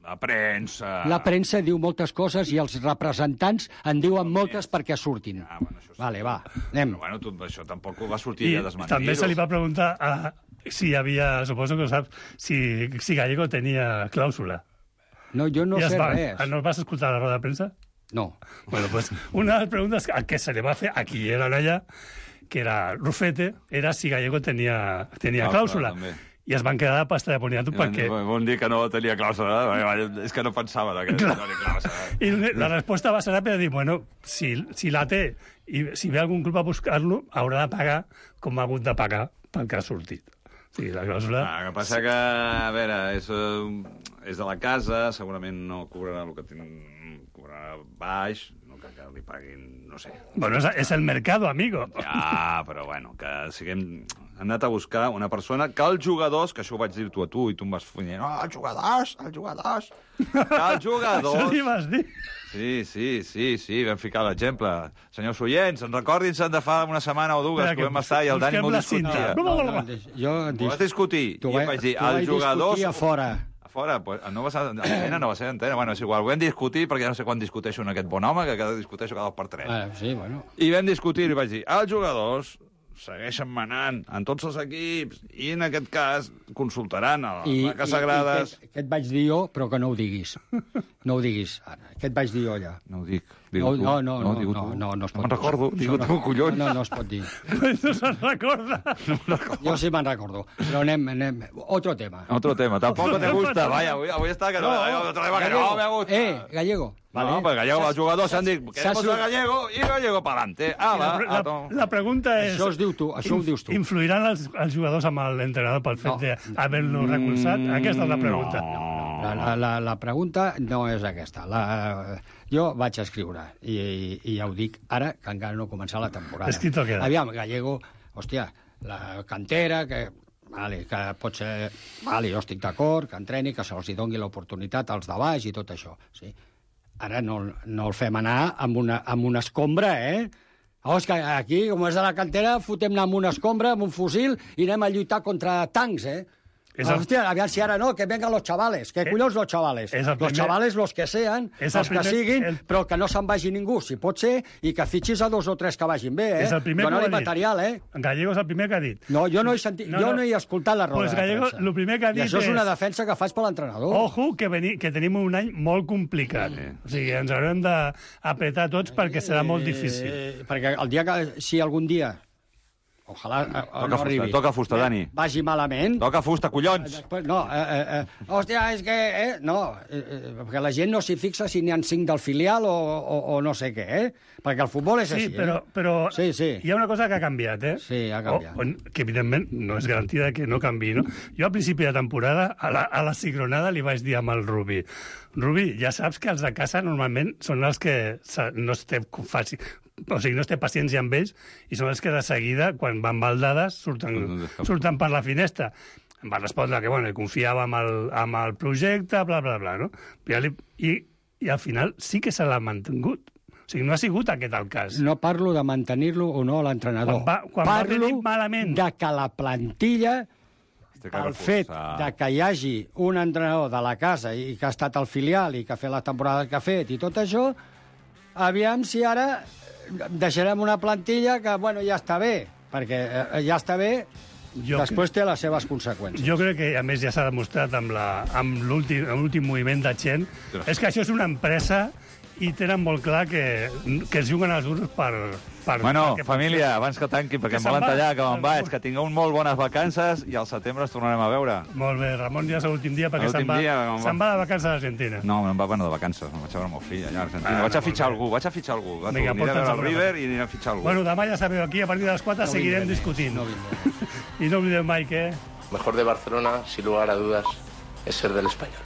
La premsa. La premsa diu moltes coses i els representants en diuen moltes perquè surtin. Vale, va, anem. Però, bueno, això tampoc va sortir a desmentir-ho. També se li va preguntar si hi havia, suposo que ho saps, si Gallego tenia clàusula. No, jo no sé res. ¿No vas a escoltar la roda de premsa? No. Bueno, pues una de las preguntas que se le va a hacer aquí era allá, que era Rufete, era si Gallego tenía clàusula. I es van quedar de pasta de boniato perquè... Vol dir que no tenia clàusula, és que no pensava que tenia clàusula. I la resposta va ser ràpida, dir, bueno, si la té i si ve algun club a buscar-lo, haurà de pagar com ha hagut de pagar pel que ha sortit. Sí, la clàusula... El que passa que, a veure, és de la casa, segurament no cobrarà el que tenen, cobrarà baix, no que li paguin, no sé. Bueno, és el mercado, amigo. Ja, però bueno, que siguem... Hem anat a buscar una persona que els jugadors, que això ho vaig dir a tu i tu em vas fer, no, els jugadors, que els jugadors... Això li vas dir? Sí, vam ficar l'exemple. Senyors oients, recordin-se de fa una setmana o dues que vam estar i el Dani m'ho discutia. Jo vas discutir. I jo vaig dir, els jugadors... a fora. A fora? No va ser antena, no va ser antena. Bueno, és igual, ho vam discutir, perquè no sé quan discuteixo amb aquest bon home, que discuteixo cada 2 per 3. Sí, bueno. I vam discutir i vaig dir, els jugadors segueixen manant en tots els equips i en aquest cas consultaran a les vaques sagrades. Què et vaig dir jo, però que no ho diguis. No ho diguis, ara. Què et vaig dir jo, allà? No ho dic. No es pot dir. Me'n recordo, digue tu, collons. No es pot dir. No se'n recorda. Jo sí me'n recordo. Però anem. Otro tema. Tampoc te gusta. Vaya, avui està que no. Otro tema que no me gusta. Gallego. No, pues Gallego, els jugadors s'han dit queremos a Gallego i Gallego pa'lante. La pregunta és... Això ho dius tu. Influiran els jugadors amb l'entrenador pel fet d'haver-lo recolzat? Aquesta és la pregunta. La pregunta no és aquesta. Jo vaig escriure, i ja ho dic ara, que encara no ha començat la temporada. Escrito queda. Aviam, Gallego, hòstia, la cantera, que pot ser... jo estic d'acord, que entreni, que se'ls doni l'oportunitat als de baix i tot això, sí. Ara no el fem anar amb una escombra, és que aquí, com és de la cantera, fotem-ne amb una escombra, amb un fusil, i anem a lluitar contra tancs, Hòstia, aviam si ara no, que vengan los chavales. Que collons los chavales? Los chavales, los que sean, els que siguin, però que no se'n vagi ningú, si pot ser, i que fitxis a 2 o 3 que vagin bé, Dona-li material, Gallego és el primer que ha dit. No, jo no he sentit, jo no he escoltat la roda. Pues Gallego, el primer que ha dit és... I això és una defensa que faig per l'entrenador. Ojo, que tenim un any molt complicat. O sigui, ens haurem d'apretar tots perquè serà molt difícil. Perquè el dia que, si algun dia... Ojalà no arribi. Toca fusta, Dani. Vagi malament. Toca fusta, collons. No, hòstia, és que... No, perquè la gent no s'hi fixa si n'hi ha 5 del filial o no sé què, Perquè el futbol és així, però sí. Hi ha una cosa que ha canviat, Sí, ha canviat. Que, evidentment, no és garantida que no canviï, no? Jo, al principi de temporada, a la ciclonada li vaig dir amb el Rubi, ja saps que els de casa normalment són els que no es té fàcil... O sigui, no es té paciència amb ells i són els que de seguida, quan van baldades, surten per la finestra. em va respondre que, bueno, confiava amb el projecte, bla, bla, bla, no? I al final sí que se l'ha mantingut. O sigui, no ha sigut aquest el cas. No parlo de mantenir-lo o no a l'entrenador. Quan va venir malament. De que la plantilla, el fet de que hi hagi un entrenador de la casa i que ha estat al filial i que ha fet la temporada que ha fet i tot això, aviam si ara deixarem una plantilla que, bueno, ja està bé, perquè ja està bé, després té les seves conseqüències. Jo crec que, a més, ja s'ha demostrat amb l'últim moviment de Chen, és que això és una empresa i tenen molt clar que es juguen els duros per... Bueno, família, abans que tanqui, perquè em volen tallar, que me'n vaig, que tingueu molt bones vacances i al setembre ens tornarem a veure. Molt bé, Ramon, ja és l'últim dia perquè se'n va de vacances a l'Argentina. No, me'n va de vacances, me'n vaig a veure el meu fill allà a l'Argentina. Vaig a fitxar algú. Vinga, aniré a veure el River i aniré a fitxar algú. Bueno, demà ja sabeu, aquí a partir de les 4 seguirem discutint. I no oblideu mai que... Mejor de Barcelona, sin lugar a dudas, es ser del Español.